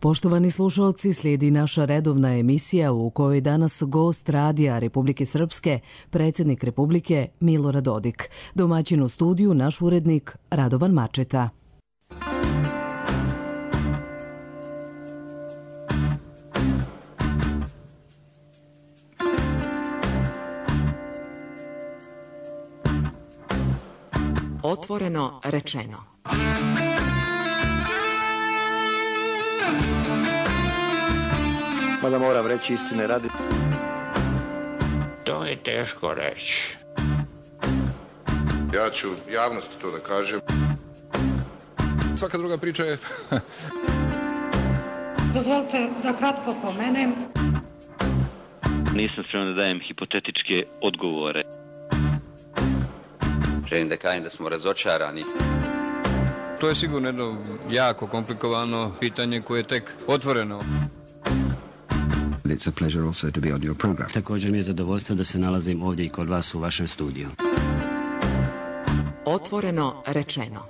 Poštovani slušalci, slijedi naša redovna emisija u kojoj danas gost Radija Republike Srpske, predsjednik Republike Milorad Dodik. Domaćin u studiju naš urednik Radovan Mačeta. Otvoreno rečeno. Mada moram reći istine radi. To je teško reći. Ja ću javnosti to da kažem. Svaka druga priča je... Dozvolite da kratko pomenem. Nisam spreman da dajem hipotetičke odgovore. Želim da kažem da smo razočarani. To je sigurno jedno jako komplikovano pitanje koje je tek otvoreno. It's a pleasure also to be on your program. Također mi je zadovoljstvo da se nalazim ovdje i kod vas u vašem studiju. Otvoreno rečeno.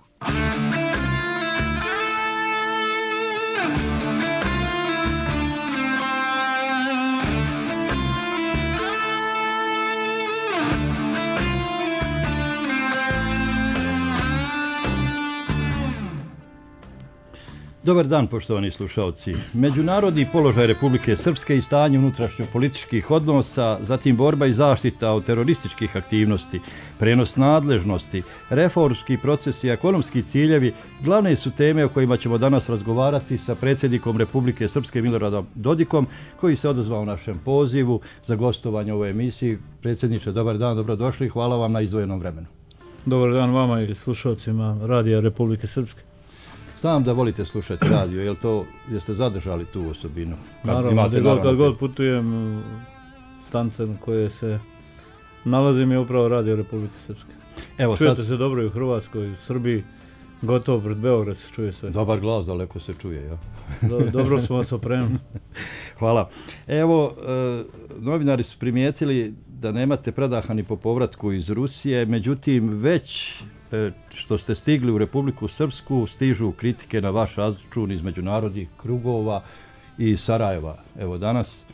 Dobar dan, poštovani slušalci. Međunarodni položaj Republike Srpske i stanje unutrašnjopolitičkih odnosa, zatim borba i zaštita od terorističkih aktivnosti, prenos nadležnosti, reformski procesi i ekonomski ciljevi glavne su teme o kojima ćemo danas razgovarati sa predsjednikom Republike Srpske Miloradom Dodikom, koji se odazvao našem pozivu za gostovanje u ovoj emisiji. Predsjedniče, dobar dan, dobrodošli, hvala vam na izdvojenom vremenu. Dobar dan vama i slušalcima Radija Republike Srpske. Znam da volite slušati radio, jeste zadržali tu osobinu? Naravno, kad god putujem, stanice na koje se nalazim je upravo Radio Republike Srpske. Čujete se dobro i u Hrvatskoj, i u Srbiji, gotovo pred Beograd se čuje sve. Dobar glas, daleko se čuje, ja. Dobro smo vas opremili. Hvala. Evo, novinari su primijetili da nemate predaha ni po povratku iz Rusije, međutim, već što ste stigli u Republiku Srpsku, stižu kritike na vaš račun iz međunarodnih krugova i Sarajeva. Evo danas,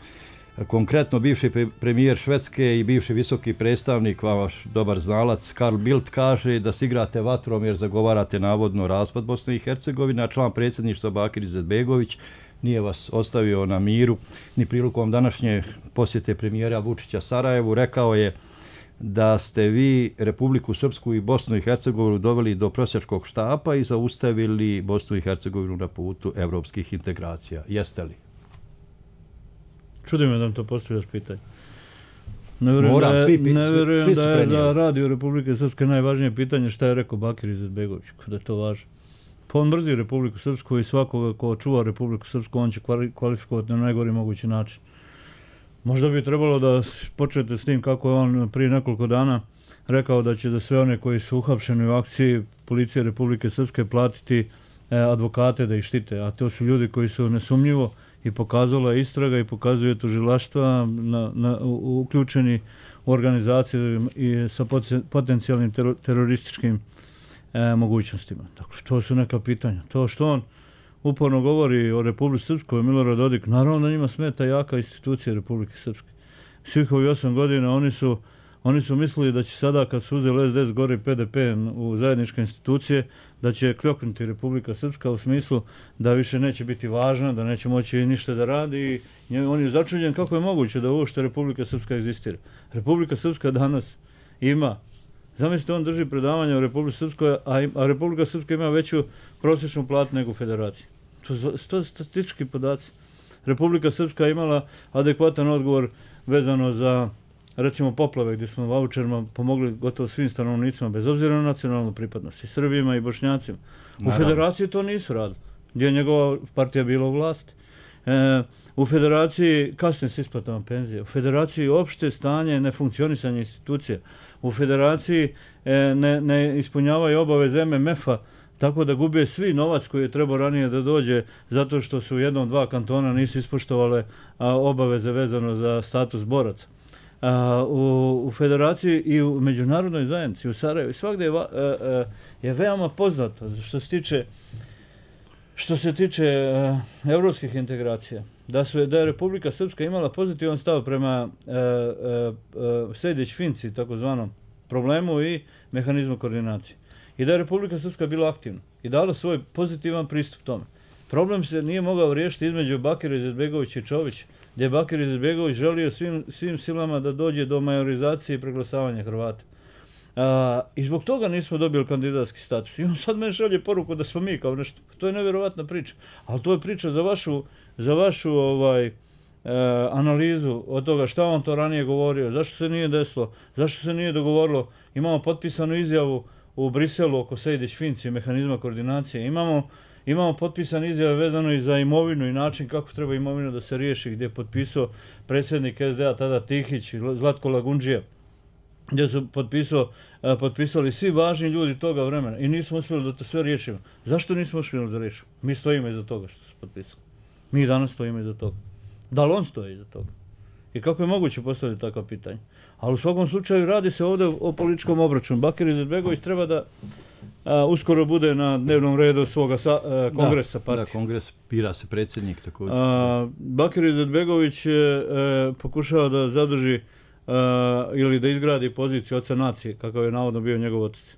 konkretno bivši premijer Švedske i bivši visoki predstavnik, vaš dobar znalac, Carl Bildt, kaže da se igrate vatrom jer zagovarate navodno raspad Bosne i Hercegovine, a član predsjedništva Bakir Izetbegović nije vas ostavio na miru. Ni prilikom današnje posjete premijera Vučića Sarajevu rekao je da ste vi Republiku Srpsku i Bosnu i Hercegovinu doveli do prosjačkog štapa i zaustavili Bosnu i Hercegovinu na putu evropskih integracija. Jeste li? Čudi me da mi to postavljaš pitanje. Ne vjerujem da je za Radio Republike Srpske najvažnije pitanje šta je rekao Bakir Izetbegović, kada je to važno. Pa on mrzi Republiku Srpsku i svakoga ko čuva Republiku Srpsku on će kvalifikovati na najgori mogući način. Možda bi trebalo da počnete s tim kako je on prije nekoliko dana rekao da će za sve one koji su uhapšeni u akciji policije Republike Srpske platiti advokate da ih štite, a to su ljudi koji su nesumnjivo i pokazala istraga i pokazuje tužilaštva uključeni u organizaciju i sa potencijalnim terorističkim mogućnostima. Dakle, to su neka pitanja. To što on uporno govori o Republici Srpskoj, Milorad Dodik, naravno da njima smeta jaka institucija Republike Srpske. Svih ovih 8 godina oni su mislili da će sada, kad su uzeli SDS gore i PDP u zajedničke institucije, da će kljoknuti Republika Srpska u smislu da više neće biti važna, da neće moći ništa da radi i on je začuđen kako je moguće da uopšte Republika Srpska egzistira. Republika Srpska danas ima, zamislite, on drži predavanje o Republici Srpskoj, a Republika Srpska ima veću prosječnu platu nego u Federaciji. To su statistički podaci. Republika Srpska je imala adekvatan odgovor vezano za, recimo, poplave gdje smo vaučerima pomogli gotovo svim stanovnicima, bez obzira na nacionalnu pripadnost, i Srbima i Bošnjacima. U Federaciji to nisu radili, gdje je njegova partija bila u vlasti. U Federaciji kasne s isplatama penzije. U Federaciji opšte stanje nefunkcionisanja institucija. U Federaciji ne ispunjavaju obaveze MMF-a, tako da gube svi novac koji je trebao ranije da dođe zato što su u jednom, dva kantona nisu ispoštovale obaveze vezano za status boraca. U Federaciji i u međunarodnoj zajednici, u Sarajevu i svakdje je veoma poznato što se tiče što se tiče evropskih integracija, da je Republika Srpska imala pozitivan stav prema Sejdić-Finci, takozvanom problemu i mehanizmu koordinacije. I da je Republika Srpska bila aktivna i dala svoj pozitivan pristup tome. Problem se nije mogao riješiti između Bakira Izetbegovića i Čovića, gdje je Bakir Izetbegović želio svim silama da dođe do majorizacije i preglasavanja Hrvata. I zbog toga nismo dobili kandidatski status. I on sad meni šalje poruku da smo mi kao nešto. To je nevjerovatna priča. Ali to je priča za vašu analizu od toga šta on to ranije govorio, zašto se nije desilo, zašto se nije dogovorilo. Imamo potpisanu izjavu u Briselu oko Sejdić-Finci, mehanizma koordinacije. Imamo potpisane izjave vezano i za imovinu i način kako treba imovina da se riješi, gdje je potpisao predsjednik SDA tada Tihić i Zlatko Lagundžija, gdje su potpisali svi važni ljudi toga vremena i nismo uspjeli da to sve riješimo. Zašto nismo uspjeli da riješimo? Mi stojimo iza toga što su potpisali. Mi danas stojimo iza toga. Da li on stoji iza toga? I kako je moguće postaviti takva pitanja? Ali u svakom slučaju radi se ovdje o političkom obračunu. Bakir Izetbegović treba da uskoro bude na dnevnom redu svoga kongresa partije. Da, kongres, bira se predsjednik također. Bakir Izetbegović pokušava da zadrži ili da izgradi poziciju oca nacije, kakav je navodno bio njegov otac.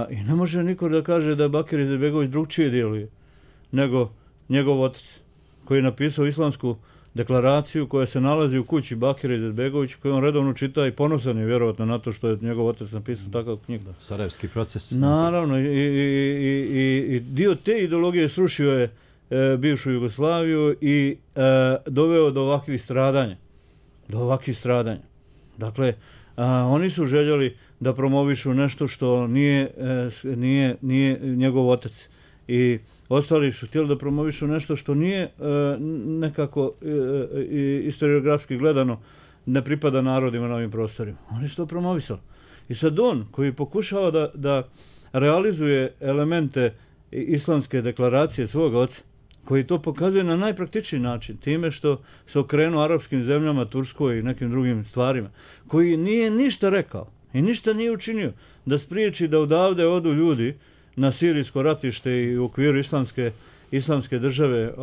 I ne može niko da kaže da Bakir Izetbegović drugčije djeluje nego njegov otac, koji je napisao islamsku deklaraciju koja se nalazi u kući Bakira Izetbegovića, koju on redovno čita i ponosan je vjerovatno na to što je njegov otac napisao takav knjig. Sarajevski proces. Naravno, i dio te ideologije srušio je bivšu Jugoslaviju i doveo do ovakvih stradanja. Dakle, oni su željeli da promovišu nešto što nije njegov otac. I ostali su htjeli da promovišu nešto što nije nekako historiografski gledano ne pripada narodima na ovim prostorima. Oni su to promovisali. I sad on koji pokušava da realizuje elemente islamske deklaracije svoga oca, koji to pokazuje na najpraktičniji način, time što se okrenuo arapskim zemljama, Turskoj i nekim drugim stvarima, koji nije ništa rekao i ništa nije učinio da spriječi da odavde odu ljudi na sirijsko ratište i u okviru islamske države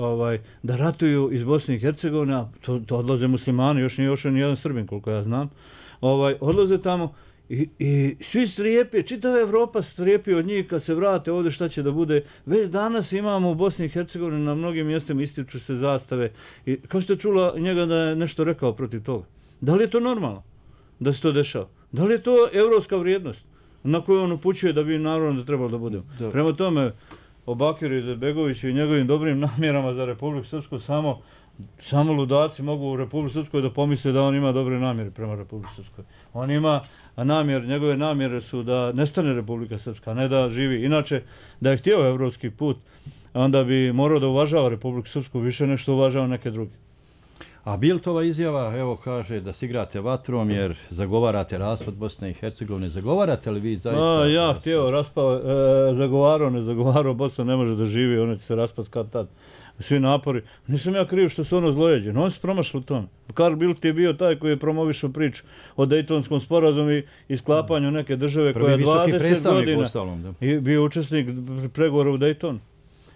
da ratuju iz Bosne i Hercegovine, to odlaze muslimani, još nije ošao ni jedan Srbin koliko ja znam, odlaze tamo i svi strijepi, čitava Evropa strijepi od njih kad se vrate ovdje šta će da bude. Već danas imamo u Bosni i Hercegovini na mnogim mjestima ističu se zastave. I kao ste čula njega da je nešto rekao protiv toga. Da li je to normalno da se to dešava? Da li je to evropska vrijednost na koju on upućuje da bi naravno da trebalo da budemo? Prema tome, o Bakiru Izetbegoviću i njegovim dobrim namjerama za Republiku Srpsku samo ludaci mogu u Republiku Srpskoj da pomisle da on ima dobre namjere prema Republiku Srpskoj. On ima njegove namjere su da nestane Republika Srpska, a ne da živi. Inače, da je htio evropski put, onda bi morao da uvažava Republiku Srpsku više nešto uvažava neke druge. A Bildtova izjava, evo kaže da se igrate vatrom jer zagovarate raspad Bosne i Hercegovine. Zagovarate li vi zaista? Ja htio zagovarao, Bosna ne može da živi, ona će se raspad kad tad. Svi napori. Nisam ja kriv što su ono zlojeđeni. On se promašao u tome. Karl Bildt je bio taj koji je promovišao priču o Dejtonskom sporazumu i sklapanju neke države koja 20 godina i bio učesnik pregovora u Dejtonu.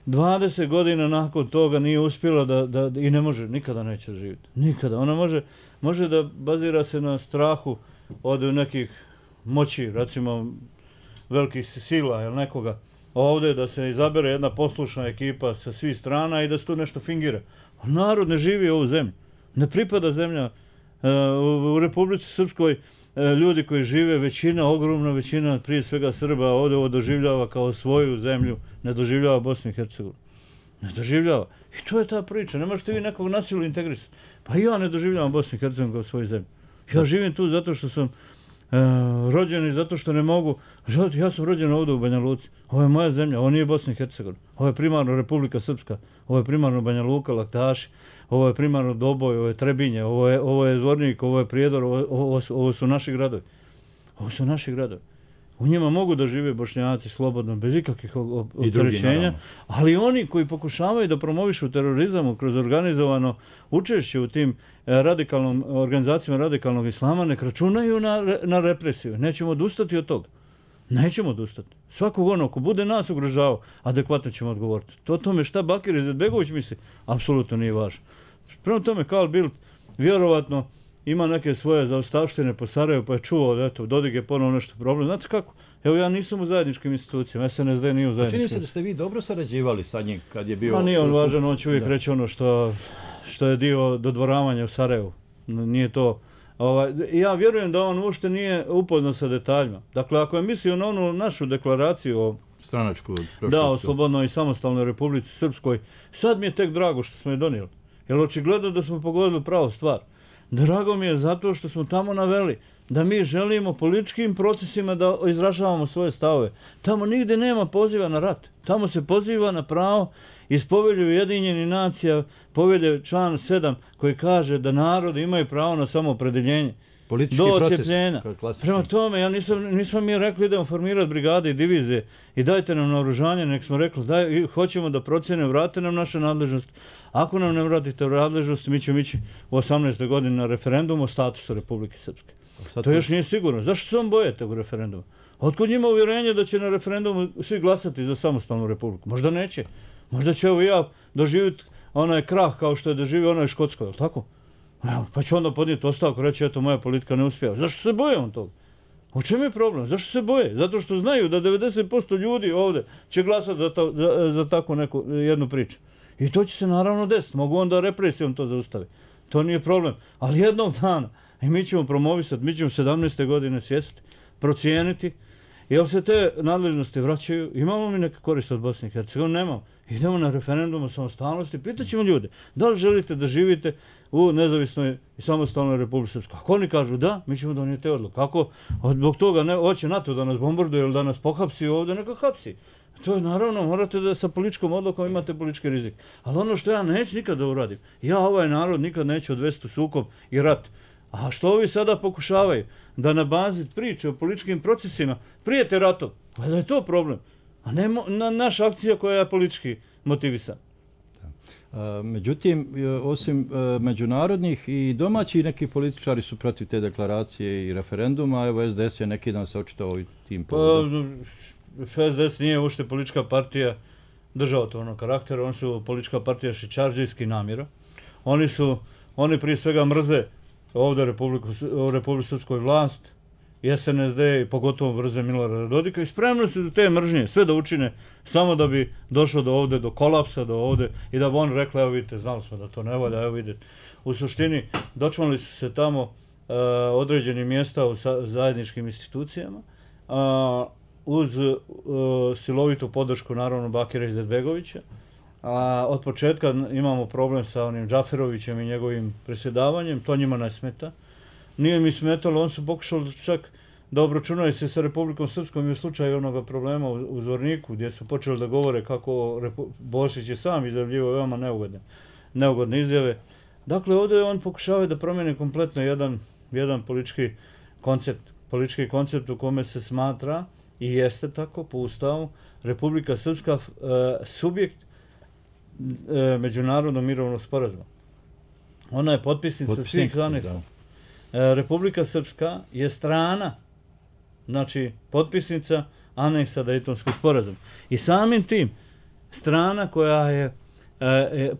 20 godina nakon toga nije uspjela i ne može, nikada neće živjeti. Nikada. Ona može da bazira se na strahu od nekih moći, recimo velikih sila ili nekoga. Ovdje da se izabere jedna poslušna ekipa sa svih strana i da se tu nešto fingira. Narod ne živi ovu zemlju. Ne pripada zemlja. U Republici Srpskoj ljudi koji žive, ogromna većina, prije svega Srba, ovdje ovo doživljava kao svoju zemlju, ne doživljava Bosnu i Hercegovinu. Ne doživljava. I to je ta priča. Ne možete vi nekog nasilu integrisati. Pa ja ne doživljavam Bosnu i Hercegovinu kao svoju zemlju. Ja živim tu zato što sam rođen i zato što ne mogu. Ja sam rođen ovdje u Banja Luci. Ovo je moja zemlja, ovo nije Bosna i Hercegovina. Ovo je primarno Republika Srpska, ovo je primarno Banja Luka, Laktaši, ovo je primarno Doboj, ovo je Trebinje, ovo je Zvornik, ovo je Prijedor, ovo su naši gradovi. Ovo su naši gradovi. U njima mogu da žive Bošnjaci slobodno, bez ikakvih opterećenja, ali oni koji pokušavaju da promovišu terorizam kroz organizovano učešće u tim organizacijama radikalnog islama, nek računaju na represiju. Nećemo odustati od toga. Nećemo odustati. Svakog ono, ko bude nas ugrožavao, adekvatno ćemo odgovoriti. To tome šta Bakir Izetbegović misli, apsolutno nije važno. Prema tome, Carl Bildt vjerovatno ima neke svoje zaostavštine po Sarajevu, pa je čuo da eto, Dodik je ponovno nešto problem. Znate kako? Evo, ja nisam u zajedničkim institucijama, SNSD nije u zajedničkim. Čini se da ste vi dobro sarađivali sa njim kad je bio... Pa nije on važan, on će uvijek reći ono što je dio dodvoravanja u Sarajevu. Nije to... Ja vjerujem da on uopšte nije upoznat sa detaljima. Dakle, ako je mislio na onu našu deklaraciju o stranačku, o slobodnoj i samostalnoj Republici Srpskoj, sad mi je tek drago što smo je donijeli. Jer očigledno da smo pogodili pravu stvar. Drago mi je zato što smo tamo naveli da mi želimo političkim procesima da izražavamo svoje stavove. Tamo nigde nema poziva na rat. Tamo se poziva na pravo iz Povelje Ujedinjenih nacija, Povelje član 7, koji kaže da narodi imaju pravo na samoopredeljenje. Politički do proces. Odcjepljenja. Prema tome, ja nismo mi rekli idemo formirati brigade i divizije i dajte nam naoružanje, nek smo rekli hoćemo da procjene, vrate nam naše nadležnosti. Ako nam ne vratite nadležnosti, mi ćemo ići u 18. godini na referendum o statusu Republike Srpske. To još nije sigurno. Zašto se on boje tog referenduma? Otkud njima uvjerenje da će na referendumu svi glasati za samostalnu republiku? Možda neće. Možda će evo ja doživjeti onaj krah kao što je doživio onaj Škotskoj, jel' tako? Evo, pa će onda podnijeti ostavku, reći eto moja politika ne uspijeva. Zašto se boje on toga? U čemu je problem? Zašto se boje? Zato što znaju da 90% ljudi ovdje će glasati za takvu jednu priču. I to će se naravno desiti. Mogu onda represijom to zaustaviti. To nije problem. Ali jednog dana, i mi ćemo promovisati, mi ćemo 17. godine sjesti, procijeniti, jel se te nadležnosti vraćaju, imamo mi neke koriste od Bosne i Hercegovine, nemamo. Idemo na referendum o samostalnosti, pitaćemo ljude, da li želite da živite u nezavisnoj i samostalnoj Republici Srpskoj. Ako oni kažu da, mi ćemo donijeti odluku. Kako zbog toga hoće NATO da nas bombarduje ili da nas pohapsi ovdje, neka hapsi. To je naravno, morate da sa političkom odlukom imate politički rizik. Ali ono što ja neću nikad da uradim, ja ovaj narod nikad neću odvesti u sukob i rat. A što ovi sada pokušavaju? Da na bazi priče o političkim procesima prijete ratom. Pa da je to problem. A ne naša akcija koja je politički motivisana. Međutim, osim međunarodnih i domaći neki političari su protiv te deklaracije i referenduma. Evo SDS je neki dan se očitao i tim povodom. SDS nije uopšte politička partija državotvornog karaktera, oni su politička partija šičarđijskih namjera. Oni prije svega mrze ovdje Republiku Srpskoj vlast, SNSD i pogotovo mrze Milorada Dodika i spremno su te mržnje sve da učine samo da bi došlo do kolapsa, do ovdje i da bi on rekla, evo vidite, znali smo da to ne valja, evo vidite. U suštini, dočmali su se tamo određeni mjesta u zajedničkim institucijama, uz silovitu podršku, naravno, Bakira Izetbegovića. Od početka imamo problem sa onim Džaferovićem i njegovim presjedavanjem, to njima ne smeta. Nije mi smetalo, on su pokušali čak da obračunaju se sa Republikom Srpskom i u slučaju onoga problema u Zvorniku, gdje su počeli da govore kako Bosić je sam izjavljivao veoma neugodne izjave. Dakle, ovdje on pokušava da promijeni kompletno jedan politički koncept u kome se smatra, i jeste tako po Ustavu, Republika Srpska subjekt međunarodnog mirovnog sporazuma. Ona je potpisnica svih aneksa. Republika Srpska je strana, znači potpisnica aneksa Dejtonskog sporazuma. I samim tim strana koja je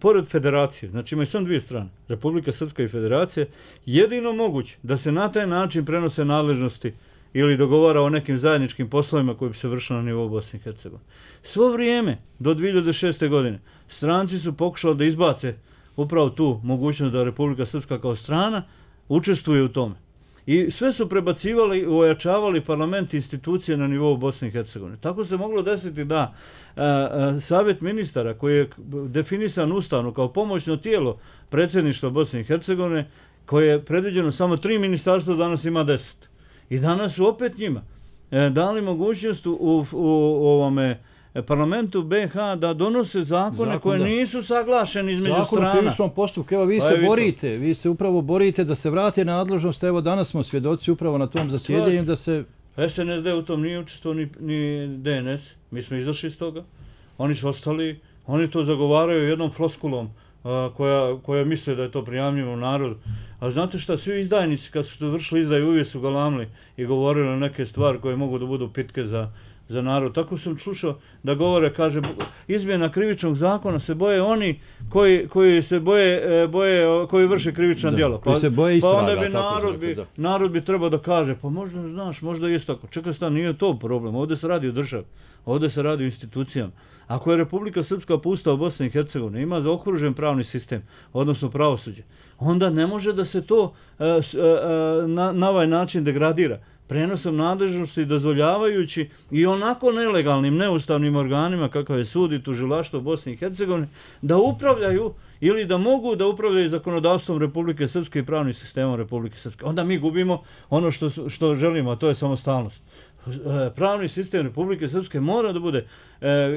pored federacije, znači imaju samo dvije strane, Republika Srpska i federacija, jedino moguće da se na taj način prenose nadležnosti ili dogovara o nekim zajedničkim poslovima koji bi se vršili na nivou Bosne i Hercegovine. Svo vrijeme, do 2006. godine, stranci su pokušali da izbace upravo tu mogućnost da Republika Srpska kao strana učestvuje u tome. I sve su prebacivali, ojačavali parlament i institucije na nivou Bosne i Hercegovine. Tako se moglo desiti da Savjet ministara, koji je definisan ustavno kao pomoćno tijelo predsjedništva Bosne i Hercegovine, koje je predviđeno samo 3 ministarstva, danas ima 10. I danas su opet njima dali mogućnost u ovome parlamentu BiH da donose zakone koje nisu saglašeni između strana. Zakon o krivičnom postupku, evo vi se upravo borite da se vrate nadležnost, evo danas smo svjedoci upravo na tom zasjedanju da se... SNSD u tom nije učestvovao ni DNS, mi smo izašli iz toga, oni su ostali, oni to zagovaraju jednom floskulom koja misle da je to prijamljivo u narodu. A znate šta, svi izdajnici kad su vršili izdaju uvijek su galamili i govorili neke stvari koje mogu da budu pitke za narod. Tako sam slušao da govore, kaže, izmjena krivičnog zakona se boje oni koji se boje koji vrše krivična djela. Koji se boje istraga. Pa onda bi narod bi trebao da kaže, pa možda, znaš, možda je tako. Čekaj stan, nije to problem. Ovdje se radi o državi. Ovdje se radi o institucijama. Ako je Republika Srpska po Ustavu Bosne i Hercegovine ima zaokružen pravni sistem, odnosno pravosuđe, onda ne može da se to na ovaj način degradira. Prenosom nadležnosti dozvoljavajući i onako nelegalnim, neustavnim organima kakav je sud i tužilaštvo Bosne i Hercegovine da upravljaju ili da mogu da upravljaju zakonodavstvom Republike Srpske i pravnim sistemom Republike Srpske. Onda mi gubimo ono što želimo, a to je samostalnost. Pravni sistem Republike Srpske mora da bude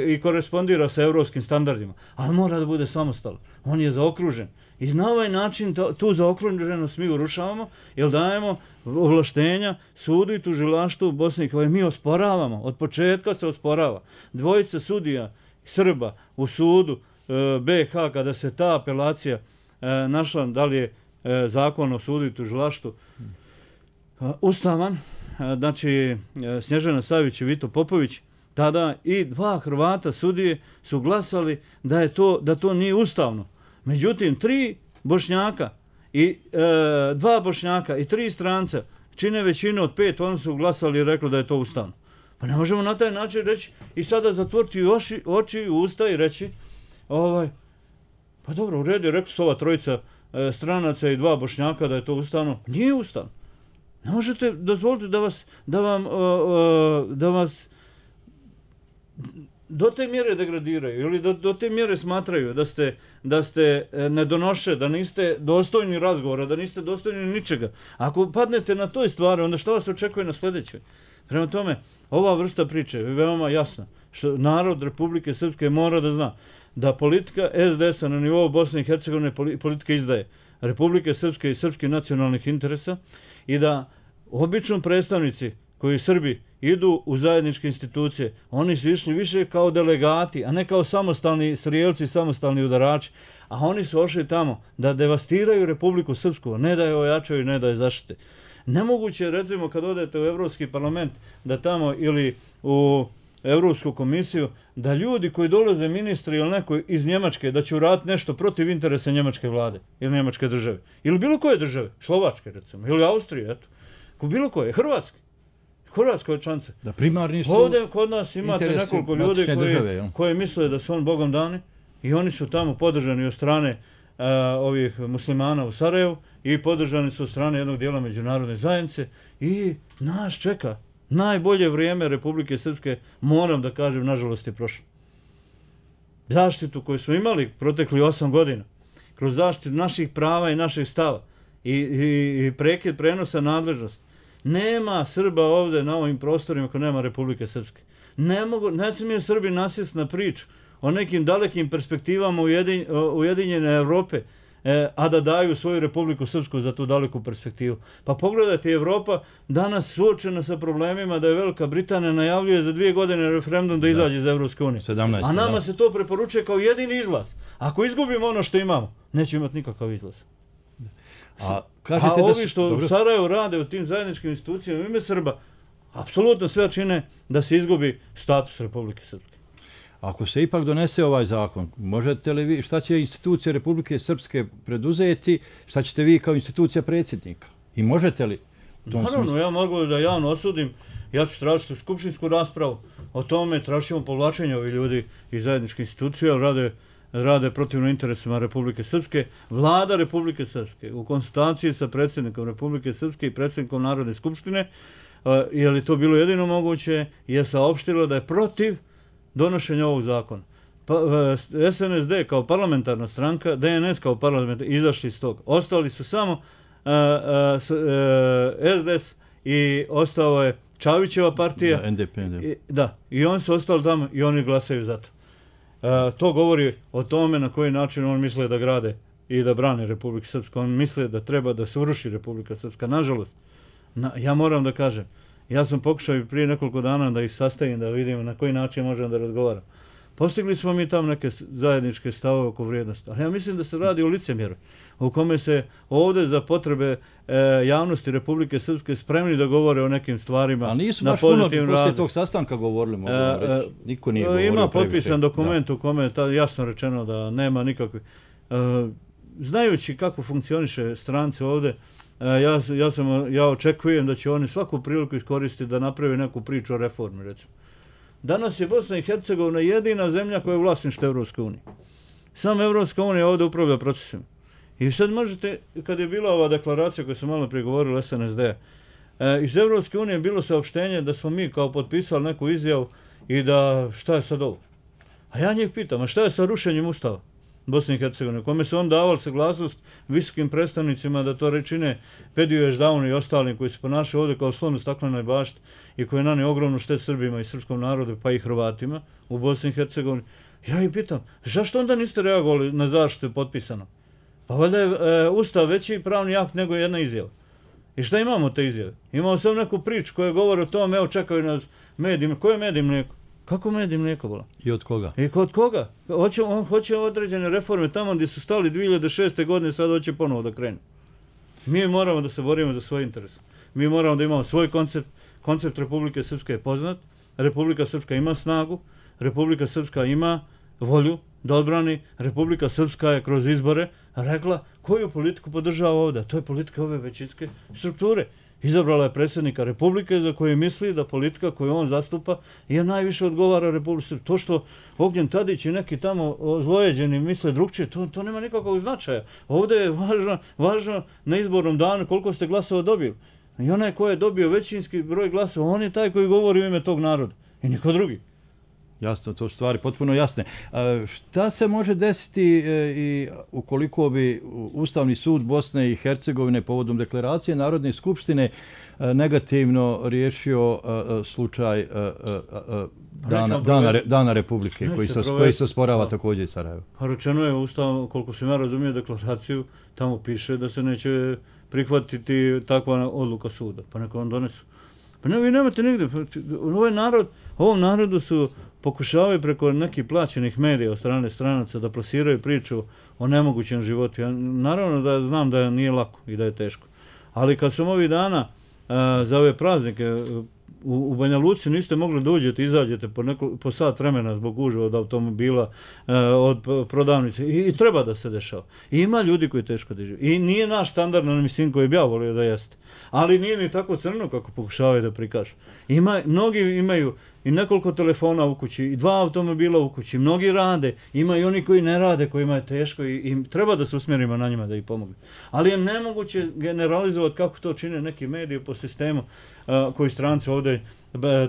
i korespondira sa evropskim standardima, ali mora da bude samostalan. On je zaokružen. I na ovaj način tu zaokruženost mi urušavamo jer dajemo ovlaštenja sudu i tužilaštvu Bosne i Hercegovine. Mi osporavamo, od početka se osporava. Dvojica sudija Srba u sudu BiH kada se ta apelacija našla, da li je zakon o sudu i tužilaštvu ustavan, znači Snježana Savić i Vito Popović, tada i 2 Hrvata sudije su glasali da to nije ustavno. Međutim, 3 Bošnjaka i 2 Bošnjaka i 3 stranca čine većinu od 5, oni su glasali i rekli da je to ustavno. Pa ne možemo na taj način reći i sada zatvoriti oči i usta i reći pa dobro, u redu, rekli su ova trojica stranaca i 2 Bošnjaka da je to ustavno. Nije ustavno. Ne možete dozvoliti da vas do te mjere degradiraju ili do te mjere smatraju da ste nedonoše, da niste dostojni razgovora, da niste dostojni ničega. Ako padnete na toj stvari, onda što vas očekuje na sljedećoj? Prema tome, ova vrsta priče je veoma jasna. Što narod Republike Srpske mora da zna da politika SDS-a na nivou Bosne i Hercegovine politika izdaje Republike Srpske i srpskih nacionalnih interesa i da obično predstavnici koji Srbi idu u zajedničke institucije, oni su išli više kao delegati, a ne kao samostalni strijelci, samostalni udarači, a oni su ošli tamo da devastiraju Republiku Srpsku, ne da je ojačaju, ne da je zaštite. Nemoguće je, recimo, kad odete u Evropski parlament, da tamo ili u Evropsku komisiju, da ljudi koji dolaze ministri ili neko iz Njemačke, da će uraditi nešto protiv interesa njemačke vlade ili njemačke države. Ili bilo koje države, Slovačke recimo, ili Austrije, eto. Bilo koje, Hrvatska je čance. Da primarni su ovdje kod nas imate nekoliko ljudi koji misle da su on Bogom dani i oni su tamo podržani od strane ovih muslimana u Sarajevu i podržani su od strane jednog dijela međunarodne zajednice i nas čeka. Najbolje vrijeme Republike Srpske, moram da kažem, nažalost je prošlo. Zaštitu koju smo imali protekli 8 godina, kroz zaštitu naših prava i naših stava i prekid prenosa nadležnosti. Nema Srba ovdje na ovim prostorima ako nema Republike Srpske. Ne smije Srbi nasjesti na priču o nekim dalekim perspektivama Ujedinjene Evrope, a da daju svoju Republiku Srpsku za tu daleku perspektivu. Pa pogledajte, Evropa danas suočena sa problemima da je Velika Britanija najavljuje za 2 godine referendum da izađe iz Evropske unije. A nama se to preporučuje kao jedini izlaz. Ako izgubimo ono što imamo, neće imati nikakav izlaz. A ovi što u Sarajevu rade u tim zajedničkim institucijama u ime Srba, apsolutno sve čine da se izgubi status Republike Srpske. Ako se ipak donese ovaj zakon, možete li vi, šta će institucije Republike Srpske preduzeti, šta ćete vi kao institucija predsjednika? I možete li? Naravno, ja mogu da javno osudim, ja ću tražiti skupštinsku raspravu o tome, tražimo povlačenje ovih ljudi iz zajedničke institucije, ali rade protivno interesima Republike Srpske. Vlada Republike Srpske u konsultaciji sa predsjednikom Republike Srpske i predsjednikom Narodne skupštine, je li to bilo jedino moguće, je saopštilo da je protiv donošenja ovog zakona. SNSD kao parlamentarna stranka, DNS kao parlamentarna, izašli iz toga. Ostali su samo SDS i ostao je Čavićeva partija. Da, i oni su ostali tamo i oni glasaju za to. To govori o tome na koji način on misle da grade i da brane Republiku Srpsku. On misle da treba da se uruši Republika Srpska. Nažalost, ja moram da kažem, ja sam pokušao prije nekoliko dana da ih sastavim, da vidim na koji način možemo da razgovaram. Postigli smo mi tam neke zajedničke stavove oko vrijednosti, ali ja mislim da se radi o licemjeru, u kome se ovdje za potrebe javnosti Republike Srpske spremni da govore o nekim stvarima na pozitivnom radu. A nisu baš puno poslije tog sastanka govorili, mogu reći. Niko nije govorio ima previše. potpisan dokument u kome je jasno rečeno da nema nikakve... Znajući kako funkcioniše stranci ovdje, ja očekujem da će oni svaku priliku iskoristiti da naprave neku priču o reformi, recimo. Danas je Bosna i Hercegovina jedina zemlja koja je vlasništvo Evropske unije. Sam Evropska unija ovdje upravlja procesima. I sad možete, kad je bila ova deklaracija koju sam malo prije govorila SNSD-a, iz Evropske unije je bilo saopštenje da smo mi kao potpisali neku izjavu i da šta je sad ovo? A ja njih pitam, a šta je sa rušenjem Ustava Bosne i Hercegovine, kome su on davali saglasnost visokim predstavnicima da to čine Pediju Ježdavnu i ostalim koji se ponašaju ovdje kao slon u staklenoj bašti i koji nane ogromnu štetu Srbima i srpskom narodu pa i Hrvatima u Bosni i Hercegovini. Ja ih pitam, zašto onda niste reagovali na zaštitu potpisano? Pa valjda je Ustav veći pravni akt nego jedna izjava. I šta imamo te izjave? Imamo samo neku priču koja govori o tome, evo čekaju nas medijima. Koje medij mlijeko? Kako medij mlijeko bila? I od koga? I od koga? On hoće određene reforme tamo gdje su stali 2006. godine, sad hoće ponovo da krenu. Mi moramo da se borimo za svoj interes. Mi moramo da imamo svoj koncept. Koncept Republike Srpske je poznat. Republika Srpska ima snagu. Republika Srpska ima volju da odbrani. Republika Srpska je kroz izbore rekla koju politiku podržava ovdje. To je politika ove većinske strukture. Izabrala je predsjednika Republike za koju misli da politika koju on zastupa je najviše odgovara Republike Srpske. To što Ognjen Tadić i neki tamo zlojeđeni misle drugčije, to nema nikakvog značaja. Ovdje je važno na izbornom danu koliko ste glasova dobili. I onaj ko je dobio većinski broj glasova, on je taj koji govori u ime tog naroda. I niko drugi. Jasno, to su stvari potpuno jasne. Šta se može desiti i ukoliko bi Ustavni sud Bosne i Hercegovine povodom deklaracije Narodne skupštine negativno riješio slučaj Dana Republike koji se osporava također i Sarajevo? Rečeno je Ustav, koliko sam ja razumio deklaraciju, tamo piše da se neće prihvatiti takva odluka suda, pa neka on donesu. Pa vi nemate nigde, ovom narodu su pokušavaju preko nekih plaćenih medija od strane stranaca da plasiraju priču o nemogućem životu. Ja naravno da znam da nije lako i da je teško. Ali kad sam ovih dana za ove praznike u Banja Luci niste mogli da uđete, izađete po sat vremena zbog gužve od automobila, od prodavnice i treba da se dešava. I ima ljudi koji teško dižu. I nije naš standardno, mislim, koji bi ja volio da jeste. Ali nije ni tako crno kako pokušavaju da prikažu. Mnogi imaju i nekoliko telefona u kući, i 2 automobila u kući, mnogi rade, ima i oni koji ne rade, kojima je teško i treba da se usmjerimo na njima da ih pomogu. Ali je nemoguće generalizovati kako to čine neki mediji po sistemu koji stranci ovdje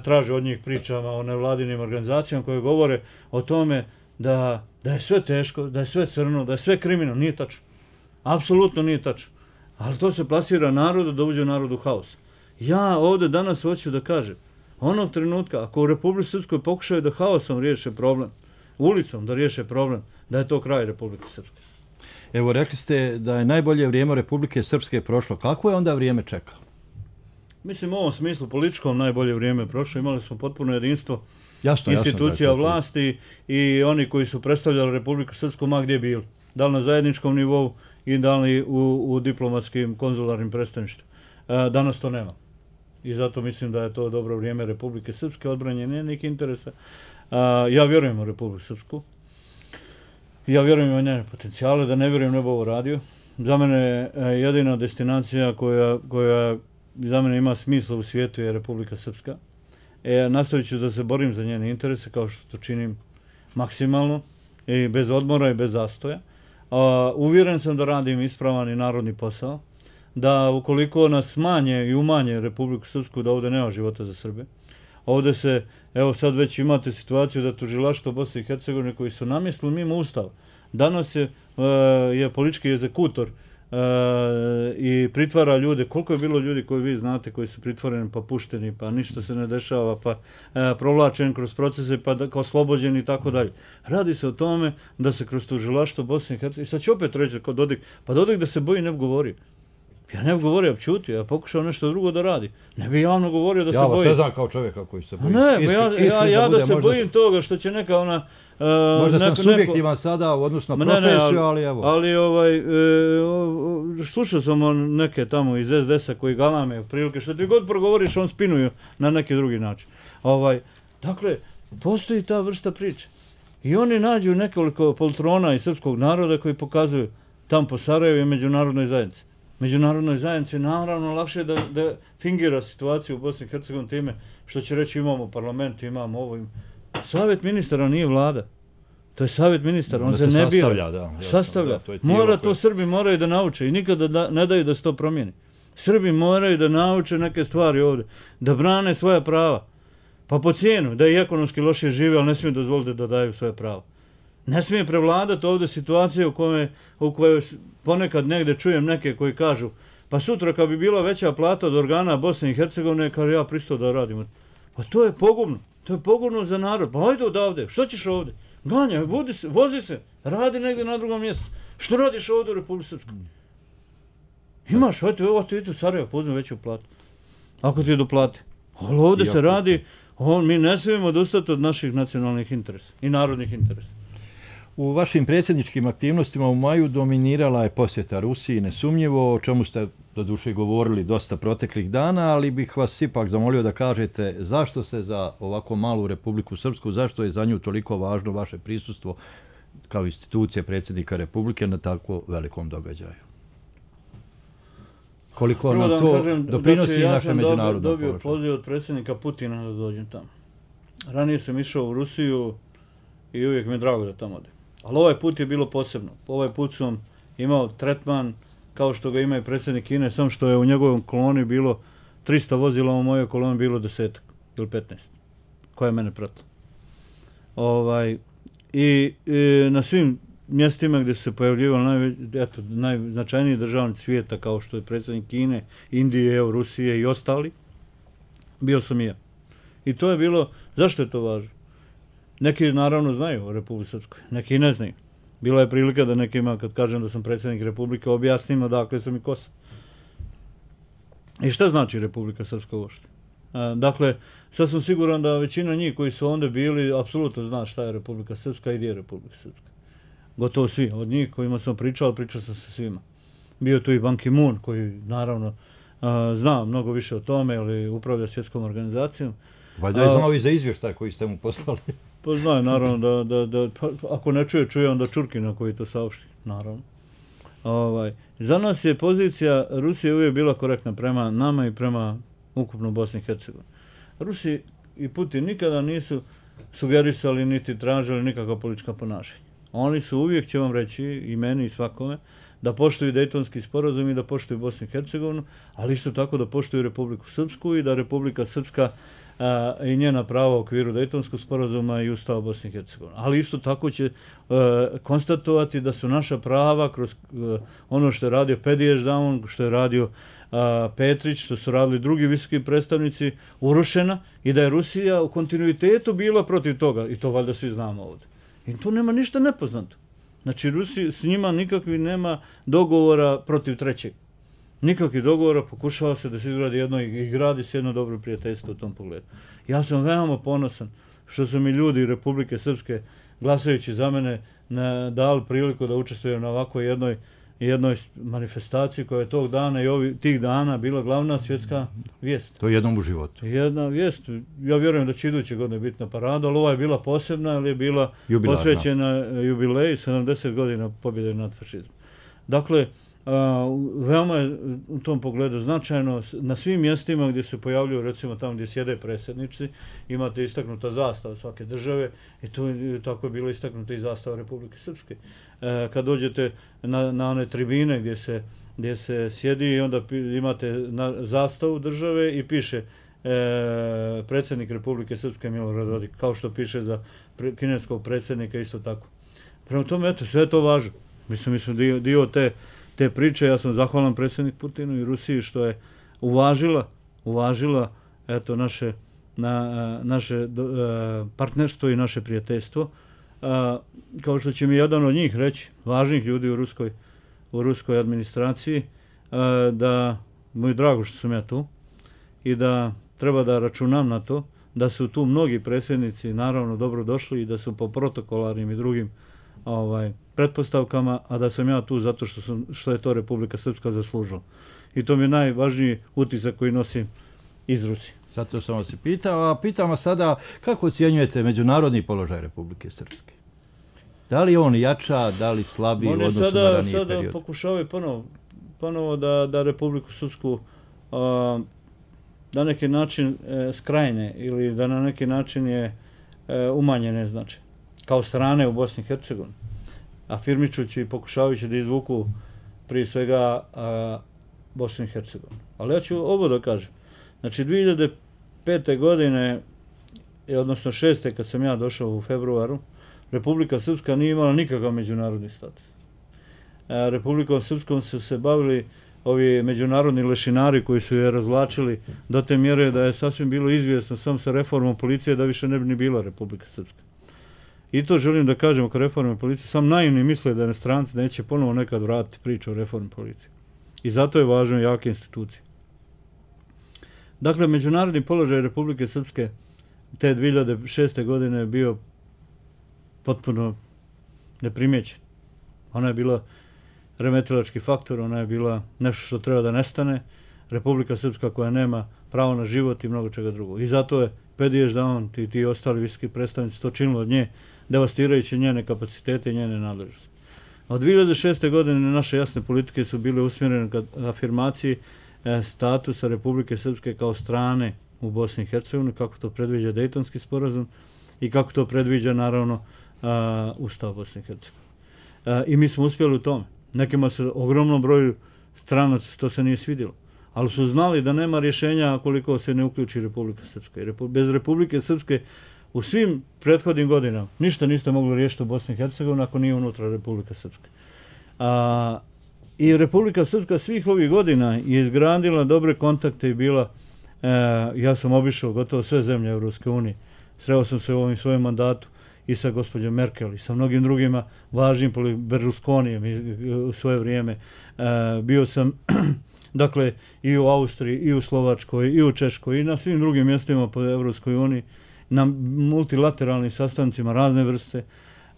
traže od njih pričama o nevladinim organizacijama koje govore o tome da je sve teško, da je sve crno, da je sve kriminalno. Nije tačno. Apsolutno nije tačno. Ali to se plasira narodu da uđe u narodu haos. Ja ovdje danas hoću da kažem, onog trenutka, ako u Republici Srpskoj pokušaju da haosom riješe problem, ulicom da riješe problem, da je to kraj Republike Srpske. Evo, rekli ste da je najbolje vrijeme Republike Srpske prošlo. Kako je onda vrijeme čekalo? Mislim, u ovom smislu političkom najbolje vrijeme prošlo. Imali smo potpuno jedinstvo institucija vlasti i oni koji su predstavljali Republiku Srpsku ma gdje bili. Da li na zajedničkom nivou i da li u diplomatskim konzularnim predstavništvima. Danas to nema. I zato mislim da je to dobro vrijeme Republike Srpske, odbranje njenih interesa. Ja vjerujem u Republiku Srpsku. Ja vjerujem u njene potencijale, da ne vjerujem ne bi ovo radio. Za mene je jedina destinacija koja za mene ima smisla u svijetu je Republika Srpska. Nastavit ću da se borim za njene interese kao što to činim maksimalno i bez odmora i bez zastoja. Uvjeren sam da radim ispravan i narodni posao, da ukoliko nas smanje i umanje Republiku Srpsku, da ovdje nema života za Srbe. Ovdje se, evo sad već imate situaciju da tužilaštvo Bosne i Hercegovine koji su namjestili mimo Ustava. Danas je politički egzekutor i pritvara ljude. Koliko je bilo ljudi koji vi znate koji su pritvoreni pa pušteni, pa ništa se ne dešava, pa provlačeni kroz procese, pa oslobođeni i tako dalje. Radi se o tome da se kroz tužilaštvo Bosne i Hercegovine, i sad će opet reći kod Dodik, pa Dodik da se boji ne bi govorio. Ja ne bih govorio, čutio, ja pokušao nešto drugo da radi. Ne bih javno govorio da se bojim. Ja vas ne znam kao čovjeka koji se boji. Ne, ja da se bojim toga što će neka ona... Možda sam subjektivan sada u odnosu na profesiju, ali evo. Ali slušao sam neke tamo iz SDS-a koji galame prilike, što ti god progovoriš, on spinuju na neki drugi način. Dakle, postoji ta vrsta priče. I oni nađu nekoliko poltrona iz srpskog naroda koji pokazuju tam po Sarajevu i međunarodnoj zajednici. Međunarodnoj zajednici je naravno lakše da fingira situaciju u Bosni i Hercegovini time što će reći imamo parlament, imamo ovo. Savjet ministara nije vlada. To je savjet ministara, on se ne bira. Sastavlja. Srbi moraju da nauče i nikada ne daju da se to promijeni. Srbi moraju da nauče neke stvari ovdje, da brane svoja prava. Pa po cijenu, da i ekonomski loše žive, ali ne smije dozvoliti da daju svoje pravo. Ne smije prevladati ovdje situacije u kojoj ponekad negdje čujem neke koji kažu pa sutra kad bi bila veća plata od organa Bosne i Hercegovine, kaže ja pristao da radim. Pa to je pogubno. To je pogubno za narod. Pa ajde odavde, što ćeš ovdje? Ganjaj, vozi se, radi negdje na drugom mjestu. Što radiš ovdje u Republike Srpskoj? Imaš, ajde, evo ti ideš u Sarajevo, pozmi veću platu. Ako ti je do plate. Ali ovdje se radi, mi ne smijemo odustati od naših nacionalnih interesa i narodnih interesa. U vašim predsjedničkim aktivnostima u maju dominirala je posjeta Rusiji, nesumnjivo, o čemu ste doduše govorili dosta proteklih dana, ali bih vas ipak zamolio da kažete zašto se za ovako malu Republiku Srpsku, zašto je za nju toliko važno vaše prisustvo kao institucije predsjednika Republike na tako velikom događaju? Koliko nam to doprinosi naše međunarodno položaje? Ja sam dobio poziv od predsjednika Putina da dođem tamo. Ranije sam išao u Rusiju i uvijek mi je drago da tamo odem. Ali ovaj put je bilo posebno. Ovaj put sam imao tretman kao što ga ima i predsjednik Kine, samo što je u njegovom koloni bilo 300 vozila, u mojoj koloni bilo 10 ili 15, koja je mene pratila. I na svim mjestima gdje su se pojavljivali najznačajniji državnici svijeta, kao što je predsjednik Kine, Indije, Rusije i ostali, bio sam i ja. I to je bilo, zašto je to važno? Neki naravno znaju o Republike Srpskoj, neki ne znaju. Bila je prilika da nekima, kad kažem da sam predsjednik Republike, objasnim odakle sam i ko sam. I šta znači Republika Srpska uopšte? Dakle, sad sam siguran da većina njih koji su onda bili apsolutno zna šta je Republika Srpska i gdje je Republika Srpska. Gotovo svi. Od njih kojima sam pričao sam se svima. Bio tu i Ban Ki-moon koji naravno zna mnogo više o tome, ali upravlja svjetskom organizacijom. Valjda je znao i za izvještaj koji ste mu poslali. Pa znaju, naravno, da ako ne čuje onda Čurkina koji to saopšti, naravno. Za nas je pozicija Rusije uvijek bila korektna prema nama i prema ukupno Bosni i Hercegovini. Rusi i Putin nikada nisu sugerisali niti tražili nikakva politička ponašanja. Oni su uvijek, će vam reći, i meni i svakome, da poštuju Dejtonski sporazum i da poštuju Bosnu i Hercegovinu, ali isto tako da poštuju Republiku Srpsku i da Republika Srpska i njena prava u okviru Dejtonskog sporazuma i Ustava Bosne i Hercegovine. Ali isto tako će konstatovati da su naša prava kroz ono što je radio Pediješ Daun, što je radio Petrić, što su radili drugi visoki predstavnici, urušena i da je Rusija u kontinuitetu bila protiv toga. I to valjda svi znamo ovdje. I tu nema ništa nepoznato. Znači, s njima nikakvih nema dogovora protiv trećeg. Nikakvih dogovora, pokušava se da se izgradi jedno i gradi se jedno dobro prijateljstvo u tom pogledu. Ja sam veoma ponosan što su mi ljudi Republike Srpske, glasajući za mene, dali priliku da učestvujem na ovako jednoj manifestaciji koja je tog dana i tih dana bila glavna svjetska vijest. To je jednom u životu. Jedna vijest. Ja vjerujem da će iduće godine biti na paradu, ali ova je bila posebna, ali je bila posvećena jubileji 70 godina pobjede nad fašizmom. Dakle, veoma je u tom pogledu značajno. Na svim mjestima gdje se pojavljuju, recimo tamo gdje sjede predsjednici, imate istaknuta zastava svake države i tako je bilo istaknuta i zastava Republike Srpske. Kad dođete na one tribine gdje se sjedi i onda imate zastavu države i piše predsjednik Republike Srpske Milorad Dodik, kao što piše za kineskog predsjednika isto tako. Prema tome, eto, sve je to važno. Mislim, dio te priče, ja sam zahvalan predsjednik Putinu i Rusiji što je uvažila eto, naše partnerstvo i naše prijateljstvo. Kao što će mi jedan od njih reći, važnih ljudi u ruskoj administraciji, da mu je drago što sam ja tu i da treba da računam na to da su tu mnogi predsjednici naravno dobro došli i da su po protokolarnim i drugim pretpostavkama, a da sam ja tu zato što je to Republika Srpska zaslužila. I to mi je najvažniji utisak koji nosim iz Rusije. Zato sam vas i pitao, a pitam vas sada kako ocjenjujete međunarodni položaj Republike Srpske? Da li on jača, da li slabi u odnosu na ranije period? Sada pokušavaju ponovo da Republiku Srpsku na neki način skrajne ili da na neki način je umanjene, znači, kao strane u Bosni i Hercegovini, afirmičući i pokušavajući da izvuku prije svega Bosnu i Hercegovinu. Ali ja ću ovo da kažem. Znači, 2005. godine, odnosno 6. kad sam ja došao u februaru, Republika Srpska nije imala nikakav međunarodni status. Republikom Srpskom su se bavili ovi međunarodni lešinari koji su je razvlačili do te mjere da je sasvim bilo izvjesno sam sa reformom policije da više ne bi ni bila Republika Srpska. I to želim da kažem oko reforme policije. Sam naivni misle da stranci neće ponovo nekad vratiti priču o reformi policije. I zato je važno jake institucije. Dakle, međunarodni položaj Republike Srpske te 2006. godine je bio potpuno neprimjećen. Ona je bila remetilački faktor, ona je bila nešto što treba da nestane. Republika Srpska koja nema pravo na život i mnogo čega drugog. I zato je Pedijež da on i ti ostali visoki predstavnici to činilo od nje, devastirajući njene kapacitete i njene nadležnosti. Od 2006. godine naše jasne politike su bile usmjerene ka afirmaciji statusa Republike Srpske kao strane u Bosni i Hercegovini, kako to predviđa Dejtonski sporazum i kako to predviđa naravno Ustav Bosne i Hercegovine. I mi smo uspjeli u tome. Nekima se ogromnom broju stranaca to se nije svidjelo, ali su znali da nema rješenja koliko se ne uključi Republika Srpska. Bez Republike Srpske u svim prethodnim godinama ništa niste mogli riješiti u Bosni i Hercegovini ako nije unutra Republika Srpska. I Republika Srpska svih ovih godina je izgradila dobre kontakte i bila, ja sam obišao gotovo sve zemlje Evropske unije, sreo sam se u ovom svojem mandatu i sa gospođom Merkel i sa mnogim drugima važnim Berlusconijem u svoje vrijeme. Bio sam dakle i u Austriji, i u Slovačkoj, i u Češkoj, i na svim drugim mjestima po Evropskoj uniji, na multilateralnim sastancima razne vrste,